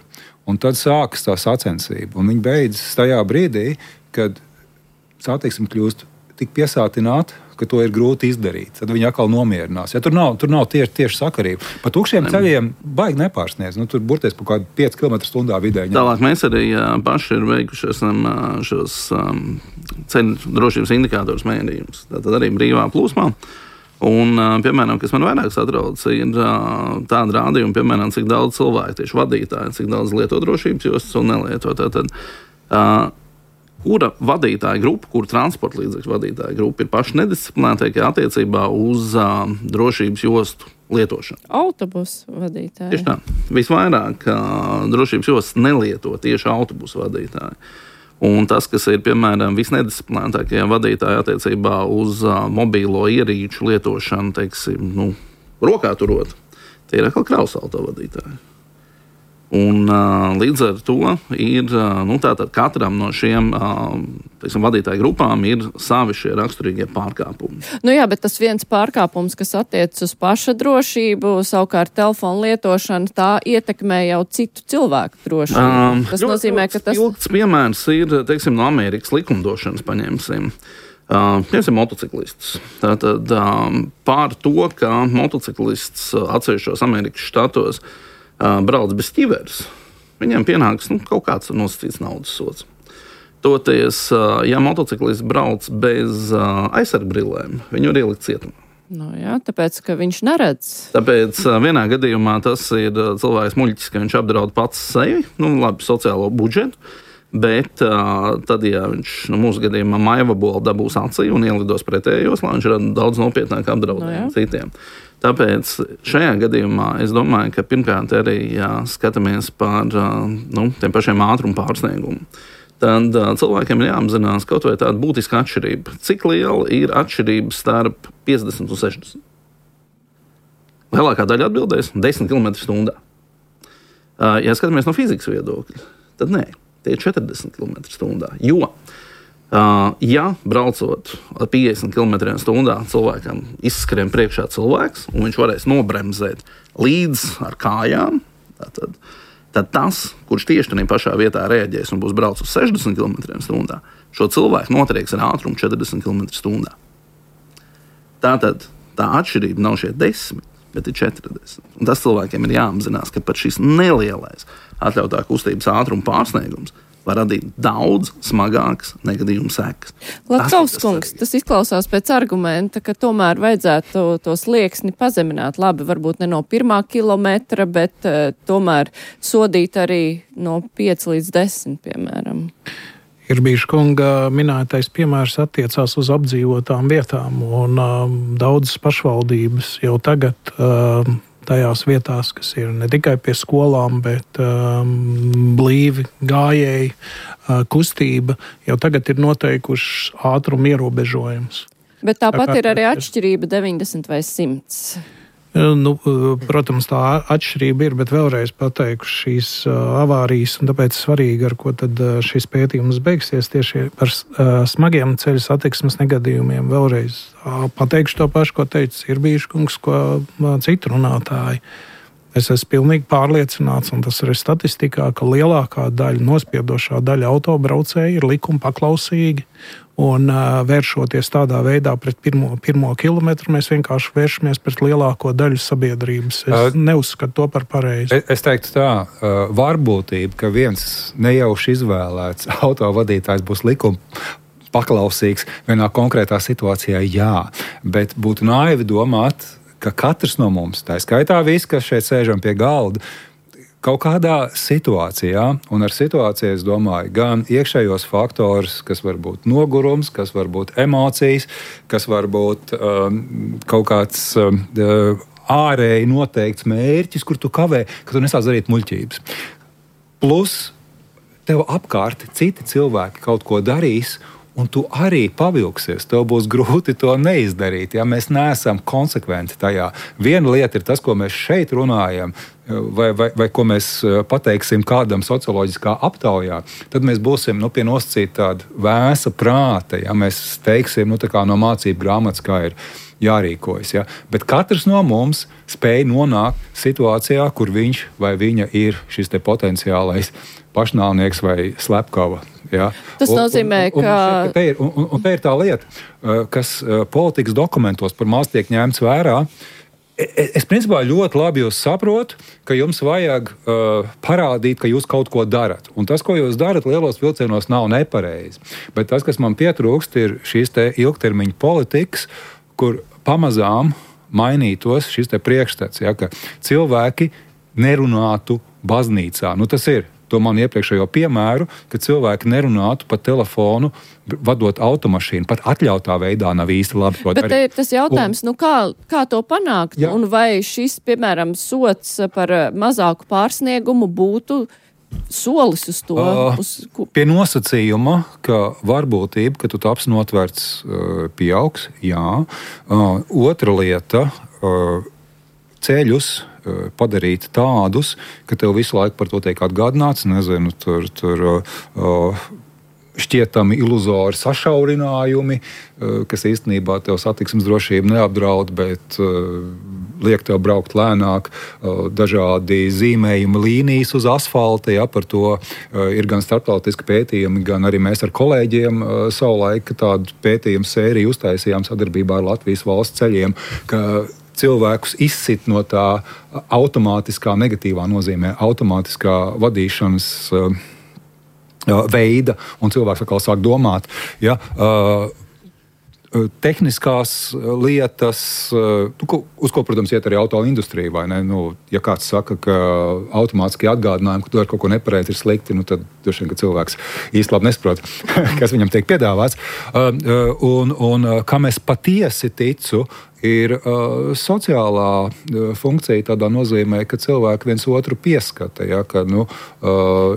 Un tad sākas tā sacensība, un viņi beidzas tajā brīdī, kad satiksme kļūst tik piesātināta, ka to ir grūti izdarīt. Tad viņi atkal nomierinās. Ja tur nav tieši sakarība. Pa tukšiem ceļiem baigi nepārsniedz. Tur burties pa kādu 5 km/h vidēji. Tālāk mēs arī paši ir veikuši šos ceļu drošības indikātorus mērījumus. Tātad arī brīvā plūsmā. Un, piemēram, kas man vairāk satrauc, ir tāda rādījuma, piemēram, cik daudz cilvēku, tieši vadītāji, cik daudz lieto drošības jostas un nelieto. Tātad, kura vadītāja grupa, kura transporta līdzekļu vadītāja grupa ir paši nedisciplinētākie attiecībā uz drošības jostu lietošanu? Autobusu vadītāji. Tieši tā. Visvairāk drošības jostas nelieto tieši autobusu vadītāji. Un tas, kas ir, piemēram, visnedisciplinētākie vadītāji attiecībā uz mobīlo ierīču lietošanu, teiksim, rokā turot, tie ir atkal kravas auto vadītāji. Un līdz ar to ir, tātad katram no šiem vadītāju grupām ir savi šie raksturīgie pārkāpumi. Bet tas viens pārkāpums, kas attiecas uz paša drošību, savukārt telefonu lietošanu, tā ietekmē jau citu cilvēku drošību. Tas nozīmē, ka tas... Ilgts piemērs ir, teiksim, no Amerikas likumdošanas paņemsim. Piemēram, motociklistus. Tātad pār to, ka motociklists atsevišķos Amerikas štatos brauc bez ķiveres, viņiem pienāks kaut kāds nosacīts naudas sods. Toties, ja motociklists brauc bez aizsargbrillēm, viņu ir ielikt cietumā. Tāpēc, ka viņš neredz. Tāpēc vienā gadījumā tas ir cilvēks muļķis, ka viņš apdraud pats sevi, sociālo budžetu, bet tad, ja viņš mūsu gadījumā maivabolu dabūs acī un ielidos pretējos, lai viņš rada daudz nopietnāk apdraudējumu citiem. Tāpēc šajā gadījumā es domāju, ka pirmkārt arī skatāmies par tiem pašiem ātrumu pārsniegumu. Tad cilvēkiem ir jāapzinās kaut vai tāda būtiska atšķirība. Cik liela ir atšķirība starp 50 un 60? Lielākā daļa atbildēs 10 km/h. Ja skatāmies no fizikas viedokļa, tad nē, tie ir 40 km/h. Jo ja braucot ar 50 km/h cilvēkam izskrien priekšā cilvēks, un viņš varēs nobremzēt līdz ar kājām, tad tas, kurš tieši tajā pašā vietā reaģēs un būs braucis uz 60 km/h, šo cilvēku notrieks ar ātrumu 40 km/h. Tātad tā atšķirība nav šie 10, bet ir 40. Un tas cilvēkiem ir jāapzinās, ka pat šis nelielais atļautā kustības ātruma pārsniegums var radīt daudz smagākas negadījumu sekas. Latkauskungs, tas izklausās pēc argumenta, ka tomēr vajadzētu to slieksni pazemināt. Labi, varbūt ne no 1 kilometra, bet tomēr sodīt arī no 5 līdz 10, piemēram. Ir bijis kunga minētais piemērs attiecās uz apdzīvotām vietām, un daudzas pašvaldības jau tagad tajās vietās, kas ir ne tikai pie skolām, bet blīvi gājēji kustība, jau tagad ir noteikuši ātrumu ierobežojums. Bet tāpat ir arī atšķirība 90 vai 100. Protams, tā atšķirība ir, bet vēlreiz pateikšu šīs avārijas, un tāpēc svarīgi, ar ko tad šis pētījums beigsies tieši par smagiem ceļu satiksmes negadījumiem. Vēlreiz pateikšu to pašu, ko teica Irbīškungs, ko citu runātāji. Es esmu pilnīgi pārliecināts, un tas ir statistikā, ka lielākā daļa, nospiedošā daļa autobraucēji ir likuma paklausīgi. Un vēršoties tādā veidā pret pirmo kilometru, mēs vienkārši vēršamies pret lielāko daļu sabiedrības. Es neuzskatu to par pareizi. Es teiktu tā, varbūtība, ka viens nejauši izvēlēts autovadītājs būs likuma paklausīgs vienā konkrētā situācijā, jā. Bet būtu naivi domāt, ka katrs no mums, tā skaitā visi, kas šeit sēžam pie galda, kaut kādā situācijā, un ar situāciju es domāju gan iekšējos faktorus, kas var būt nogurums, kas var būt emocijas, kas var būt kaut kāds ārēji noteikts mērķis, kur tu kavē, ka tu nesāc darīt muļķības. Plus tev apkārt citi cilvēki kaut ko darīs, un tu arī pavilksies. Tev būs grūti to neizdarīt, ja mēs neesam konsekventi tajā. Viena lieta ir tas, ko mēs šeit runājam, vai ko mēs pateiksim kādam socioloģiskā aptaujā, tad mēs būsim pie nosacīta tāda vēsa prāta. Ja? Mēs teiksim tā kā no mācību grāmatas, kā ir jārīkojas. Ja? Bet katrs no mums spēj nonākt situācijā, kur viņš vai viņa ir šis te potenciālais pašnāvnieks vai slepkava. Ja? Tas nozīmē, ka... Un te ir tā lieta, kas politikas dokumentos par maz tiek ņemts vērā. Es principā ļoti labi jūs saprotu, ka jums vajag parādīt, ka jūs kaut ko darat. Un tas, ko jūs darat lielos vilcienos, nav nepareizi. Bet tas, kas man pietrūkst, ir šīs te ilgtermiņa politikas, kur pamazām mainītos šis te priekšstats, ja, ka cilvēki nerunātu baznīcā. Tas ir. To man iepriekšējo piemēru, ka cilvēki nerunātu pa telefonu, vadot automašīnu. Pat atļautā veidā nav īsti labi to darīt. Bet te ir tas jautājums, kā to panākt? Jā. Un vai šis, piemēram, sots par mazāku pārsniegumu būtu solis uz to? Pie nosacījuma, ka varbūtība, ka tu taps notverts, pieaugs, jā. Otra lieta, ceļus padarīt tādus, ka tev visu laiku par to tiek atgādināts, nezinu, tur šķietami iluzori sašaurinājumi, kas īstenībā tev satiksmes drošību neapdraud, bet liek tev braukt lēnāk, dažādi zīmējumi līnijas uz asfalta, ja, par to ir gan starptautiski pētījumi, gan arī mēs ar kolēģiem savulaik tādu pētījumu sēriju uztaisījām sadarbībā ar Latvijas valsts ceļiem, ka cilvēkus izsit no tā automātiskā, negatīvā nozīmē, automātiskā vadīšanas veida, un cilvēks atkal sāk domāt. Ja, tehniskās lietas, uz ko, protams, iet arī auto industrija, vai ne? Ja kāds saka, ka automātiski atgādinājumi, ka tu ar kaut ko nepareizi ir slikti, tad droši vien, ka cilvēks īsti labi nesaprot, kas viņam tiek piedāvāts. Un kam es patiesi ticu, ir sociālā funkcija tādā nozīmē, ka cilvēki viens otru pieskata. Ja, ka,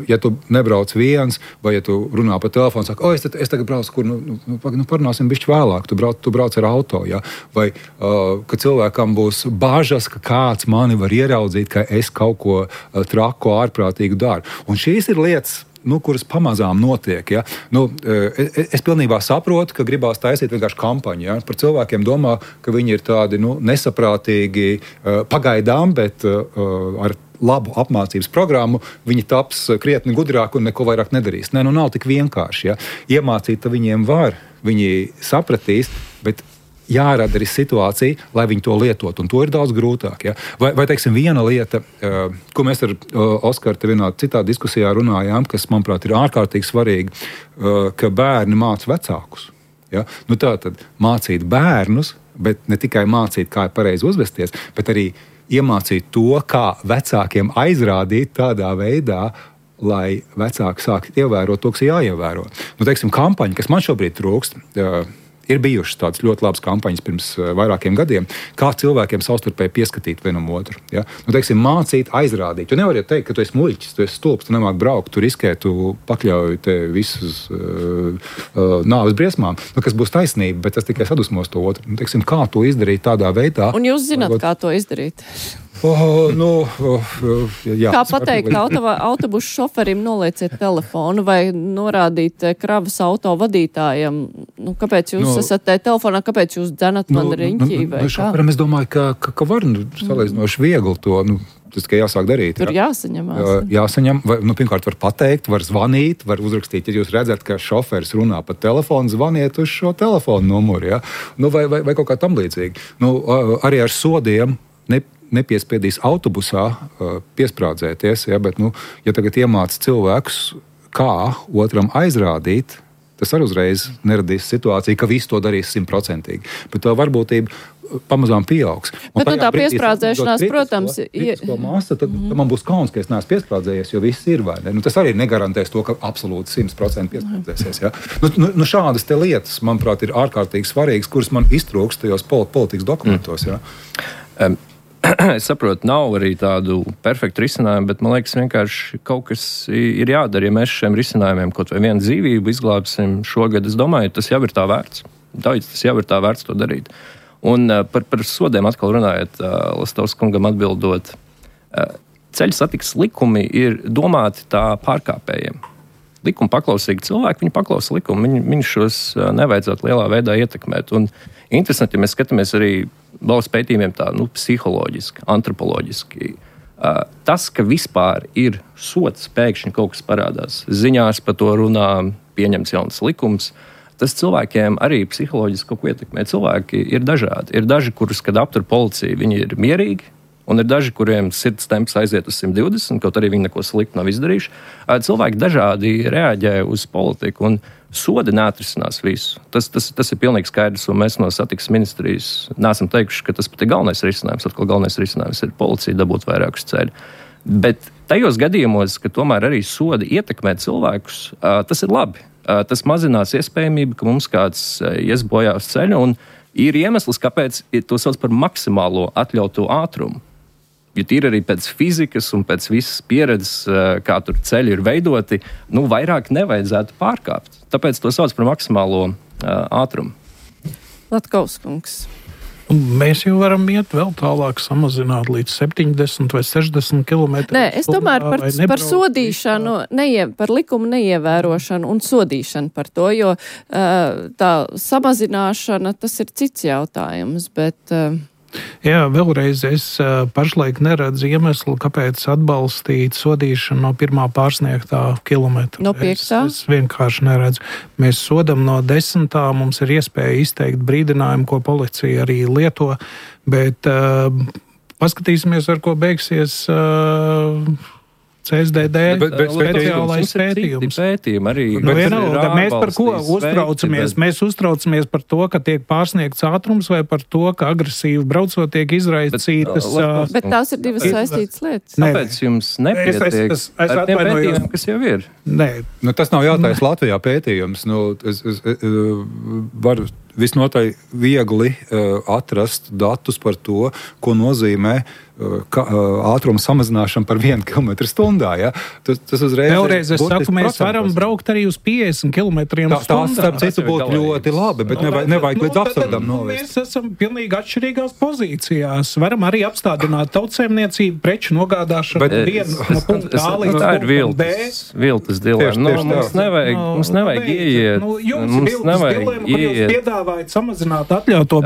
ja tu nebrauc viens, vai ja tu runā pa telefonu, saka, es tagad braucu, kur parunāsim bišķi vēlāk, tu brauc ar auto. Ja, vai ka cilvēkam būs bažas, ka kāds mani var ieraudzīt, ka es kaut ko traku, ārprātīgu daru. Un šīs ir lietas, kuras pamazām notiek. Ja? Es pilnībā saprotu, ka gribās taisīt vienkārši kampaņu. Ja? Par cilvēkiem domā, ka viņi ir tādi nesaprātīgi pagaidām, bet ar labu apmācības programmu viņi taps krietni gudrāk un neko vairāk nedarīs. Nē, nav tik vienkārši. Ja? Iemācīt viņiem var, viņi sapratīs, bet jārada arī situācija, lai viņi to lietot, un to ir daudz grūtāk. Ja? Vai teiksim, viena lieta, ko mēs ar Oskaru te vienā citā diskusijā runājām, kas, manuprāt, ir ārkārtīgi svarīgi, ka bērni māca vecākus. Ja? Tātad mācīt bērnus, bet ne tikai mācīt, kā ir pareizi uzvesties, bet arī iemācīt to, kā vecākiem aizrādīt tādā veidā, lai vecāki sāk ievērot to, kas jāievēro. Teiksim, kampaņa, kas man šobrīd trūkst, Ir bijušas tādas ļoti labas kampaņas pirms vairākiem gadiem, kā cilvēkiem savstarpēji pieskatīt vienam otru. Ja? Nu, teiksim, mācīt, aizrādīt. Tu nevari teikt, ka tu esi muļķis, tu esi stulbs, tu nemāki braukt, tu riskē, tu pakļauj te visus nāves briesmām, nu, kas būs taisnība, bet tas tikai sadusmos to otru. Nu, teiksim, kā to izdarīt tādā veidā? Un jūs zināt, kā to izdarīt? Jā, kā pateikt autobusu šoferim nolieciet telefonu vai norādīt kravas auto vadītājam, nu, kāpēc jūs esat telefonā, kāpēc jūs dzenat man riņķī vai kā? Šoferim es domāju, ka var salīdzinoši viegli to, tas tikai jāsāk darīt. Tur jāsaņemās. Jāsaņem, vai, pirmkārt var pateikt, var zvanīt, var uzrakstīt, ja jūs redzat, ka šoferis runā pa telefonu, zvaniet uz šo telefonu numuru, ja? Vai kaut kā tam līdzīgi. Arī ar sodiem nepiespiedīs autobusā piesprādzēties, ja, bet, ja tagad iemāc cilvēkus, kā otram aizrādīt, tas arī uzreiz neradīs situāciju, ka visi to darīs 100%. Bet tā varbūtība pamazām pieaugs. Bet tā piesprādzēšanās, protams, māsa, tad man būs kauns, ka es neesmu piesprādzējies, jo viss ir vai ne. Tas arī negarantēs to, ka absolūti 100% piesprādzēsies. Ja. Šādas te lietas, manuprāt, ir ārkārtīgi svarīgas, kuras man iztrūkst tajos politikas dokumentos. Ja. Es saprotu, nav arī tādu perfektu risinājumu, bet man liekas, vienkārši kaut kas ir jādara. Ja mēs šiem risinājumiem kaut vai vienu dzīvību izglābsim šogad, es domāju, tas jau ir tā vērts. Tas jau ir tā vērts to darīt. Un par sodiem atkal runājot, Lastovs kungam atbildot, ceļu satiksmes likumi ir domāti tā pārkāpējiem. Likuma paklausīgi cilvēki, viņi paklausa likumu, viņi šos nevajadzētu lielā veidā ietekmēt. Un interesanti, ja mēs skatāmies arī valsts pētījumiem tā, psiholoģiski, antropoloģiski. Tas, ka vispār ir sots, pēkšņi kaut kas parādās, ziņās par to runā, pieņemts jauns likums, tas cilvēkiem arī psiholoģiski kaut ko ietekmē. Cilvēki ir dažādi. Ir daži, kurus, kad aptur policija, viņi ir mierīgi, un ir daži, kuriem sirds temps aiziet uz 120, kaut arī viņi neko sliktu nav izdarījuši. Cilvēki dažādi reaģē uz politiku, un sodi neatrisinās visu. Tas ir pilnīgi skaidrs, un mēs no satiksmes ministrijas neesam teikuši, ka tas pat ir galvenais risinājums. Atkal galvenais risinājums ir policija dabūt vairākus ceļu. Bet tajos gadījumos, ka tomēr arī sodi ietekmē cilvēkus, tas ir labi. Tas mazinās iespējamību, ka mums kāds ies bojā uz ceļa, un ir iemesls, kāpēc to sauc par maksimālo atļautu ātrumu. Jo tīri arī pēc fizikas un pēc visas pieredzes, kā tur ceļi ir veidoti, vairāk nevajadzētu pārkāpt. Tāpēc to sauc par maksimālo ātrumu. Latkovs kungs. Mēs jau varam iet vēl tālāk, samazināt līdz 70 vai 60 km. Nē, es tomēr par sodīšanu, par likumu neievērošanu un sodīšanu par to, jo tā samazināšana, tas ir cits jautājums, bet... Jā, vēlreiz es pašlaik neredzu iemeslu, kāpēc atbalstīt sodīšanu no pirmā pārsniegtā kilometra. No 5. Es vienkārši neredzu. Mēs sodam no 10. Mums ir iespēja izteikt brīdinājumu, ko policija arī lieto, bet paskatīsimies, ar ko beigsies CSDD speciālais pētījums. Arī, mēs par ko uztraucamies? Mēs uztraucamies par to, ka tiek pārsniegts ātrums vai par to, ka agresīvi braucot tiek izraisītas... Bet tās ir divas saistītas lietas. Tāpēc jums nepietiek ar tiem pētījumiem, kas jau ir. Nē. Tas nav jātais Latvijā pētījums. Es varu visnotaļ viegli atrast datus par to, ko nozīmē ātruma samazināšana par 1 km/h. Ja? Tas uzreiz vēlreiz es saku, mēs varam braukt arī uz 50 km/h. Tas, starp citu, būtu ļoti labi, bet nevajag līdz absurdam novest. Mēs esam pilnīgi atšķirīgās pozīcijās. Varam arī apstādināt tautsēmniecību, preču nogādāšanu no punkta A līdz punktam B. Viltas dilēma. Mums nevajag ieiet. Jums ir viltas dilēma, kur jūs piedāvājat samazināt atļauto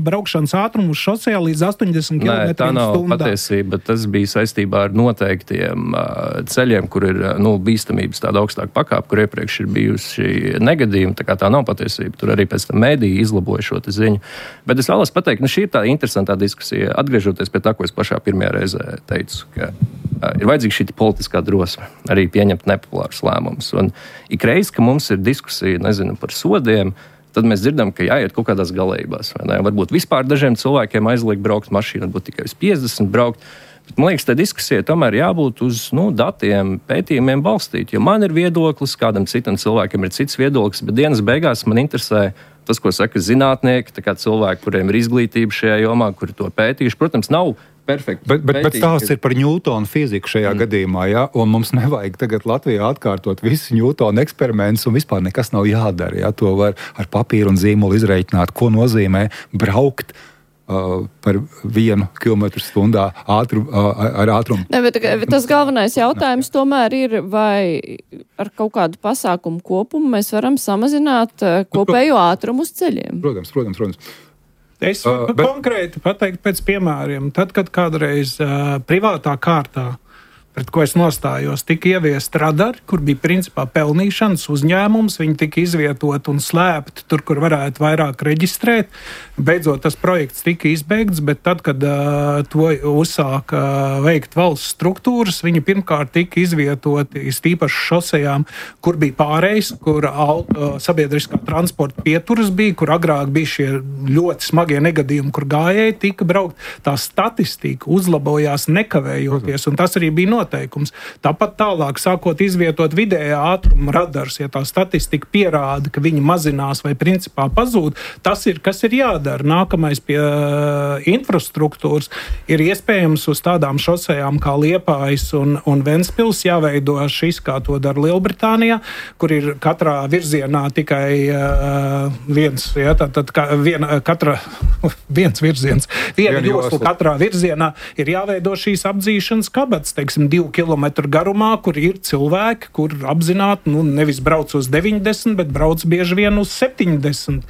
braukšanas ātrumu uz šosejā līdz 80 km/h. Patiesība, tas bija saistībā ar noteiktiem ceļiem, kur ir bīstamības tāda augstāka pakāpe, kur iepriekš ir bijusi negadījumi. Tā nav patiesība. Tur arī pēc tam mēdīji izlaboja šo ziņu. Bet es vēlos pateikt, šī ir tā interesantā diskusija. Atgriežoties pie tā, ko es pašā pirmajā reizē teicu, ka ir vajadzīga šī politiskā drosme arī pieņemt nepopulārus lēmumus. Un ikreiz, ka mums ir diskusija, par sodiem, tad mēs dzirdam, ka jāiet kaut kādās galējībās. Varbūt vispār dažiem cilvēkiem aizliegt braukt mašīnu, varbūt tikai uz 50 braukt. Man liekas, tā diskusija tomēr jābūt uz datiem, pētījumiem balstīt. Jo man ir viedoklis, kādam citam cilvēkam ir cits viedoklis, bet dienas beigās man interesē tas, ko saka zinātnieki, tā kā cilvēki, kuriem ir izglītība šajā jomā, kuri to pētījuši. Protams, nav perfekti. Bet stāsts ir par Ņūtona fiziku šajā gadījumā, ja? Un mums nevajag tagad Latvijā atkārtot visus Ņūtona eksperimentus, un vispār nekas nav jādara. Ja? To var ar papīru un zīmolu izreikināt, ko nozīmē braukt par 1 km/h ar ātrumu. Ne, bet tas galvenais jautājums tomēr ir, vai ar kaut kādu pasākumu kopumu mēs varam samazināt kopējo ātrumu uz ceļiem. Protams. Es konkrēti pateiktu pēc piemēriem. Tad, kad kādreiz privātā kārtā, pret ko es nostājos, tika ieviest radari, kur bija principā pelnīšanas uzņēmums, viņi tika izvietot un slēpti tur, kur varētu vairāk reģistrēt. Beidzot, tas projekts tika izbeigts, bet tad, kad to uzsāka veikt valsts struktūras, viņi pirmkārt tika izvietoti īpaši šosejām, kur bija pārējais, kur sabiedriskā transporta pieturas bija, kur agrāk bija šie ļoti smagie negadījumi, kur gājēji tika braukt. Tā statistika uzlabojās nekavējoties, un tas arī bija noteikums. Tāpat tālāk, sākot izvietot vidējā ātruma radars, ja tā statistika pierāda, ka viņi mazinās vai principā pazūd, tas ir, kas ir jādara. Nākamais pie infrastruktūras ir iespējams uz tādām šosejām kā Liepājas un Ventspils jāveido šis, kā to dara Lielbritānijā, kur ir katrā virzienā tikai viens, ja, tātad viens virziens, viena josla katrā virzienā ir jāveido šīs apdzīšanas kabatas, teiksim, 2 kilometru garumā, kur ir cilvēki, kur apzināti, nevis brauc uz 90, bet brauc bieži vien uz 70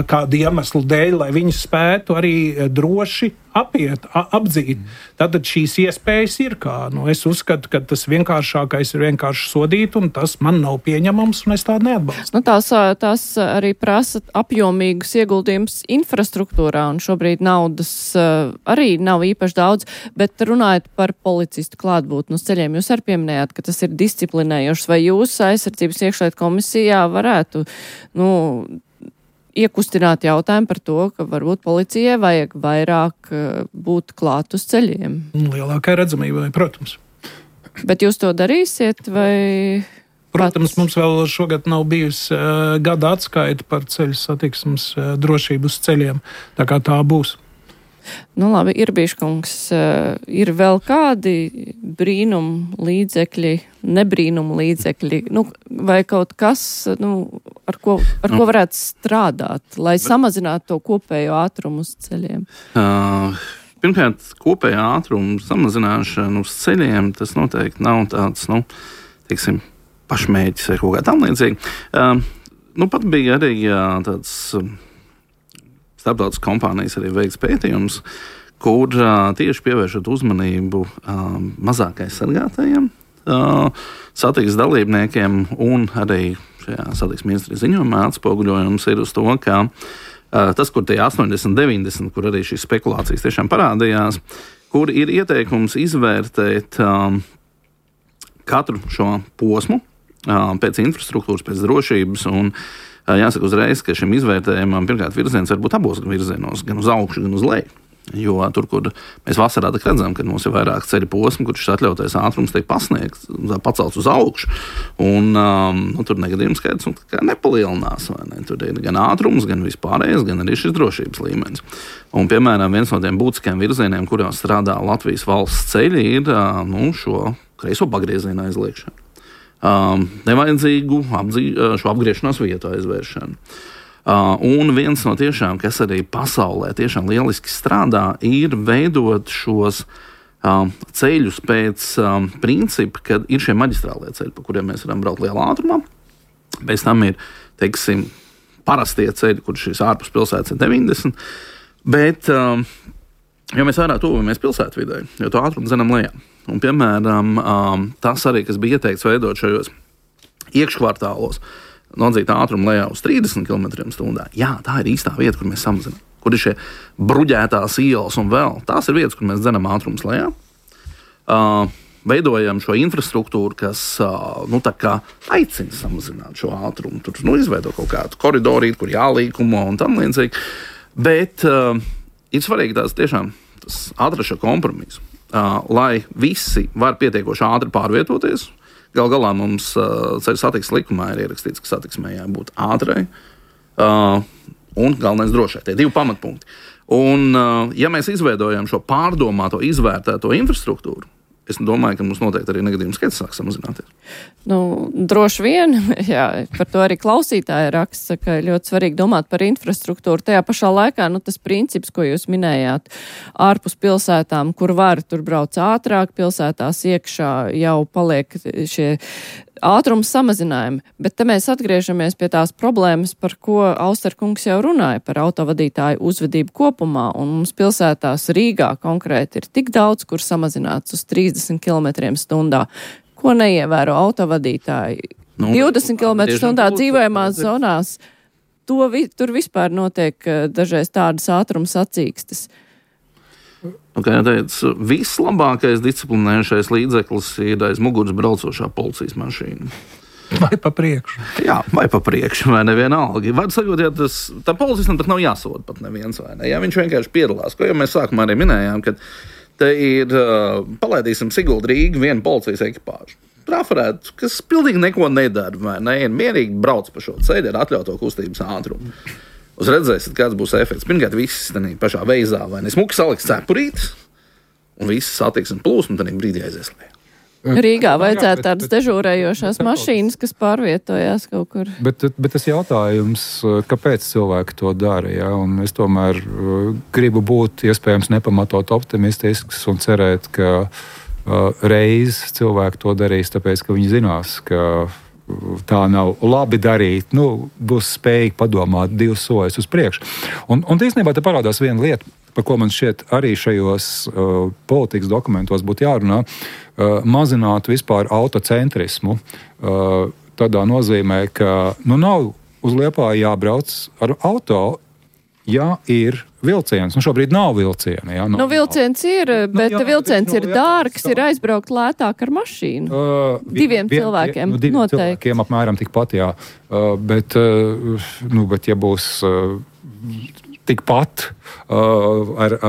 kādu iemeslu dēļ, lai viņi spētu arī droši apdzīt. Tātad šīs iespējas ir kā. Es uzskatu, ka tas vienkāršākais ir vienkārši sodīt, un tas man nav pieņemams, un es tādu neatbalstu. Tās arī prasa apjomīgus ieguldījumus infrastruktūrā, un šobrīd naudas arī nav īpaši daudz, bet runājot par policistu klātbūtni uz ceļiem, jūs arī pieminējāt, ka tas ir disciplinējošs, vai jūs aizsardzības iekšlietu komisijā varētu, iekustināt jautājumu par to, ka varbūt policijai vajag vairāk būt klāt uz ceļiem. Lielākai redzamībai, protams. Bet jūs to darīsiet, vai? Protams, mums vēl šogad nav bijusi gada atskaita par ceļu satiksmes drošību uz ceļiem, tā kā tā būs. Labi, Irbīškungs, ir vēl kādi brīnumu līdzekļi, nebrīnumu līdzekļi, vai kaut kas, ar ko varētu strādāt, lai samazinātu to kopējo ātrumu uz ceļiem? Pirmkārt, kopējā ātruma samazināšana uz ceļiem, tas noteikti nav tāds, teiksim, pašmērķis vai kaut kā tam līdzīgi. Pat bija arī tāds starptautiskas kompānijas arī veiks pētījums, kur tieši pievēršot uzmanību mazāk aizsargātajiem satiksmes dalībniekiem, un arī šajā satiksmes ministrijas ziņojumā atspoguļojums ir uz to, ka tas, kur tie 80, 90, kur arī šīs spekulācijas tiešām parādījās, kur ir ieteikums izvērtēt katru šo posmu pēc infrastruktūras, pēc drošības, un jāsaka uzreiz, ka šim izvērtējumam pirmkārt virziens var būt abos virzienos, gan uz augšu, gan uz leju. Jo tur, kur mēs vasarā redzam, ka mums ir vairāk ceļu posmu, kur šis atļautais ātrums tiek pasniegts, pacelts uz augšu, un tur negadījums skaits nepalielinās. Ne? Tur ir gan ātrums, gan vispārējais, gan arī šis drošības līmenis. Un, piemēram, viens no tiem būtiskiem virzieniem, kurās strādā Latvijas valsts ceļi, ir šo kreiso pagriezienu aizliekšanu. Nevajadzīgu šo apgriešanās vietu aizvēršanu. Un viens no tiešām, kas arī pasaulē tiešām lieliski strādā, ir veidot šos ceļus pēc principa, kad ir šie maģistrālie ceļi, pa kuriem mēs varam braukt lielā ātrumā. Pēc tam ir, teiksim, parastie ceļi, kur šīs ārpus pilsētas ir 90, bet jo mēs vairāk tuvojamies pilsētvidē, jo to ātrumu zinām lejā. Un, piemēram, tas arī, kas bija ieteikts veidot šajos iekškvartālos, nodzīt ātrumu lejā uz 30 km/h. Jā, tā ir īstā vieta, kur mēs samazinām. Kur ir šie bruģētās ielas un vēl. Tās ir vietas, kur mēs dzenam ātrumus lejā. Veidojam šo infrastruktūru, kas tā kā aicina samazināt šo ātrumu. Tur izveido kaut kādu koridorīti, kur jālīkumo un tam līdzīgi. Bet ir svarīgi tas atrast šo kompromisu. lai visi var pietiekoši ātri pārvietoties. Gal galā mums ceļu satiksmes likumā ir ierakstīts, ka satiksmē jābūt ātrai un galvenais drošai. Tie 2 pamatpunkti. Un, ja mēs izveidojam šo pārdomāto, izvērtēto infrastruktūru, es domāju, ka mums noteikti arī negadījums skaits sāk samazināties. Droši vien, jā, par to arī klausītāji raksta, ka ļoti svarīgi domāt par infrastruktūru. Tajā pašā laikā, tas princips, ko jūs minējāt, ārpus pilsētām, kur var, tur brauc ātrāk, pilsētās iekšā jau paliek šie ātrums samazinājumi, bet te mēs atgriežamies pie tās problēmas, par ko Austerkungs jau runāja, par autovadītāju uzvedību kopumā, un mums pilsētās Rīgā konkrēti ir tik daudz, kur samazināts uz 30 km/h, ko neievēro autovadītāji. 20 km/h dzīvojamās zonās, tur vispār notiek dažreiz tādas ātrums sacīkstes. Kā jau teicu, vislabākais disciplinējušais līdzeklis ir aiz muguras braucošā policijas mašīna. Vai pa priekšu? Jā, vai pa priekšu, vai nevienalga. Var sakot, ja tā policistam pat nav jāsoda pat neviens, vai ne? Ja viņš vienkārši piedalās, ko jau mēs sākumā arī minējām, ka te ir, palaidīsim Sigulda Rīga, viena policijas ekipāža. Trafarēt, kas pilnīgi neko nedara, vai ne? Ir mierīgi brauc pa šo ceļu ar atļauto kustības ātrumu. Uz redzēsiet, kāds būs efekts. Pirmkārt, viss tādā pašā veizā, vai ne? Smuki saliks cepurīt, un viss satiksme plūsma tādā brīdī aizies lejā. Rīgā vajadzētu tādas dežūrējošās mašīnas, kas pārvietojās kaut kur. Bet tas jautājums, kāpēc cilvēki to dara, ja? Un es tomēr gribu būt iespējams nepamatot optimistisks un cerēt, ka reiz cilvēki to darīs, tāpēc, ka viņi zinās, ka tā nav labi darīt, būs spējīgi padomāt 2 soļus uz priekšu. Un īstenībā te parādās viena lieta, par ko man šķiet arī šajos politikas dokumentos būtu jārunā, mazināt vispār autocentrismu. Tādā nozīmē, ka nav uz Liepāju jābrauc ar auto, ja ir vilciens. Šobrīd nav vilciena. Ja? Vilciens ir, bet vilciens ir dārgs, ir aizbraukt lētāk ar mašīnu. 2 cilvēkiem noteikti. 2 cilvēkiem apmēram tikpat, jā. Bet ja būs tikpat ar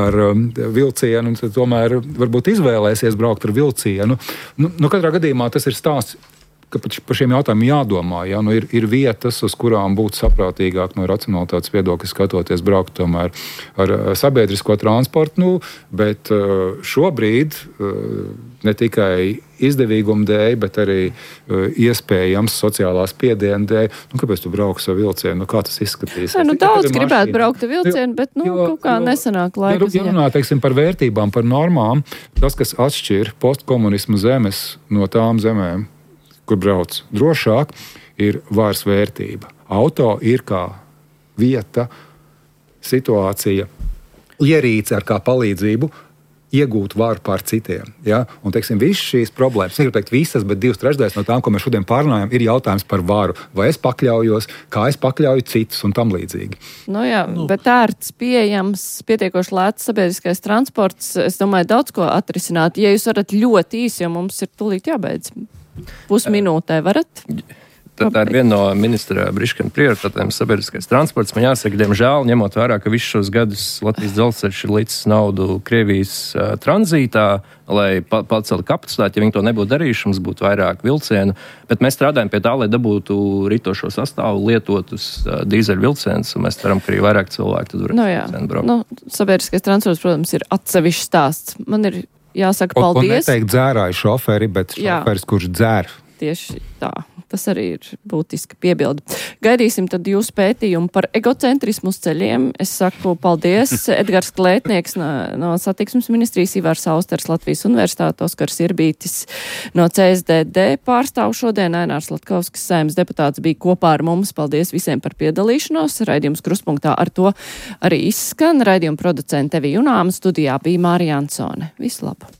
vilcienu, tad tomēr varbūt izvēlēsies braukt ar vilcienu. Katrā gadījumā tas ir stāsts, ka par šiem jautājumiem jādomā. Ja? Ir vietas, uz kurām būtu saprātīgāk no racionalitātes viedokļa skatoties braukt tomēr ar sabiedrisko transportu, bet šobrīd ne tikai izdevīguma dēļ, bet arī iespējams sociālās spiediena dēļ. Kāpēc tu brauksi ar vilcienu? Kā tas izskatīsies? Daudz gribētu braukt ar vilcienu, bet kaut kā nesanāk laika ziņā. Ja runā, teiksim, par vērtībām, par normām, tas, kas atšķir postkomunismu zemes no tām zemēm, kur brauc drošāk, ir vairs vērtība. Auto ir kā vieta, situācija, ierīce ar kā palīdzību iegūt varu pār citiem. Ja? Un, teiksim, visas šīs problēmas, negribu teikt visas, bet 2/3 no tām, ko mēs šodien pārunājam, ir jautājums par varu. Vai es pakļaujos, kā es pakļauju citus un tam līdzīgi. Bet ērts, pieejams, pietiekoši lēts sabiedriskais transports, es domāju, daudz ko atrisināt. Ja jūs varat ļoti īsi, jo mums ir tūlīt jābeidz. Pusminūtē varat? Tā ir viena no ministra Briškana prioritātēm sabiedriskais transports. Man jāsaka, diemžēl, ņemot vērā, ka visus šos gadus Latvijas dzelzceļš ir licis naudu Krievijas tranzītā, lai paceltu kapacitāti. Ja viņi to nebūtu darījuši, mums būtu vairāk vilcienu. Bet mēs strādājam pie tā, lai dabūtu ritošo sastāvu, lietotus dīzeļu vilcienus, un mēs ceram, ka arī vairāk cilvēku tad varēs braukt. Sabiedriskais transports, protams, ir atsevišķs stāsts. Man ir jāsaka paldies. Un neteikt dzērāju šoferi, bet šoferis, kurš dzer. Tieši tā. Tas arī ir būtiski piebildi. Gaidīsim tad jūsu pētījumu par egocentrismu uz ceļiem. Es saku paldies. Edgars Klētnieks no Satiksmes ministrijas, Ivars Austers Latvijas Universitāte, Oskars Irbītis no CSDD pārstāv šodien. Ainārs Latkovskis, Saeimas deputāts, bija kopā ar mums. Paldies visiem par piedalīšanos. Raidījums Kruspunktā ar to arī izskan. Raidījuma producente Evija Junāma, studijā bija Mārija Ansone. Visu labu!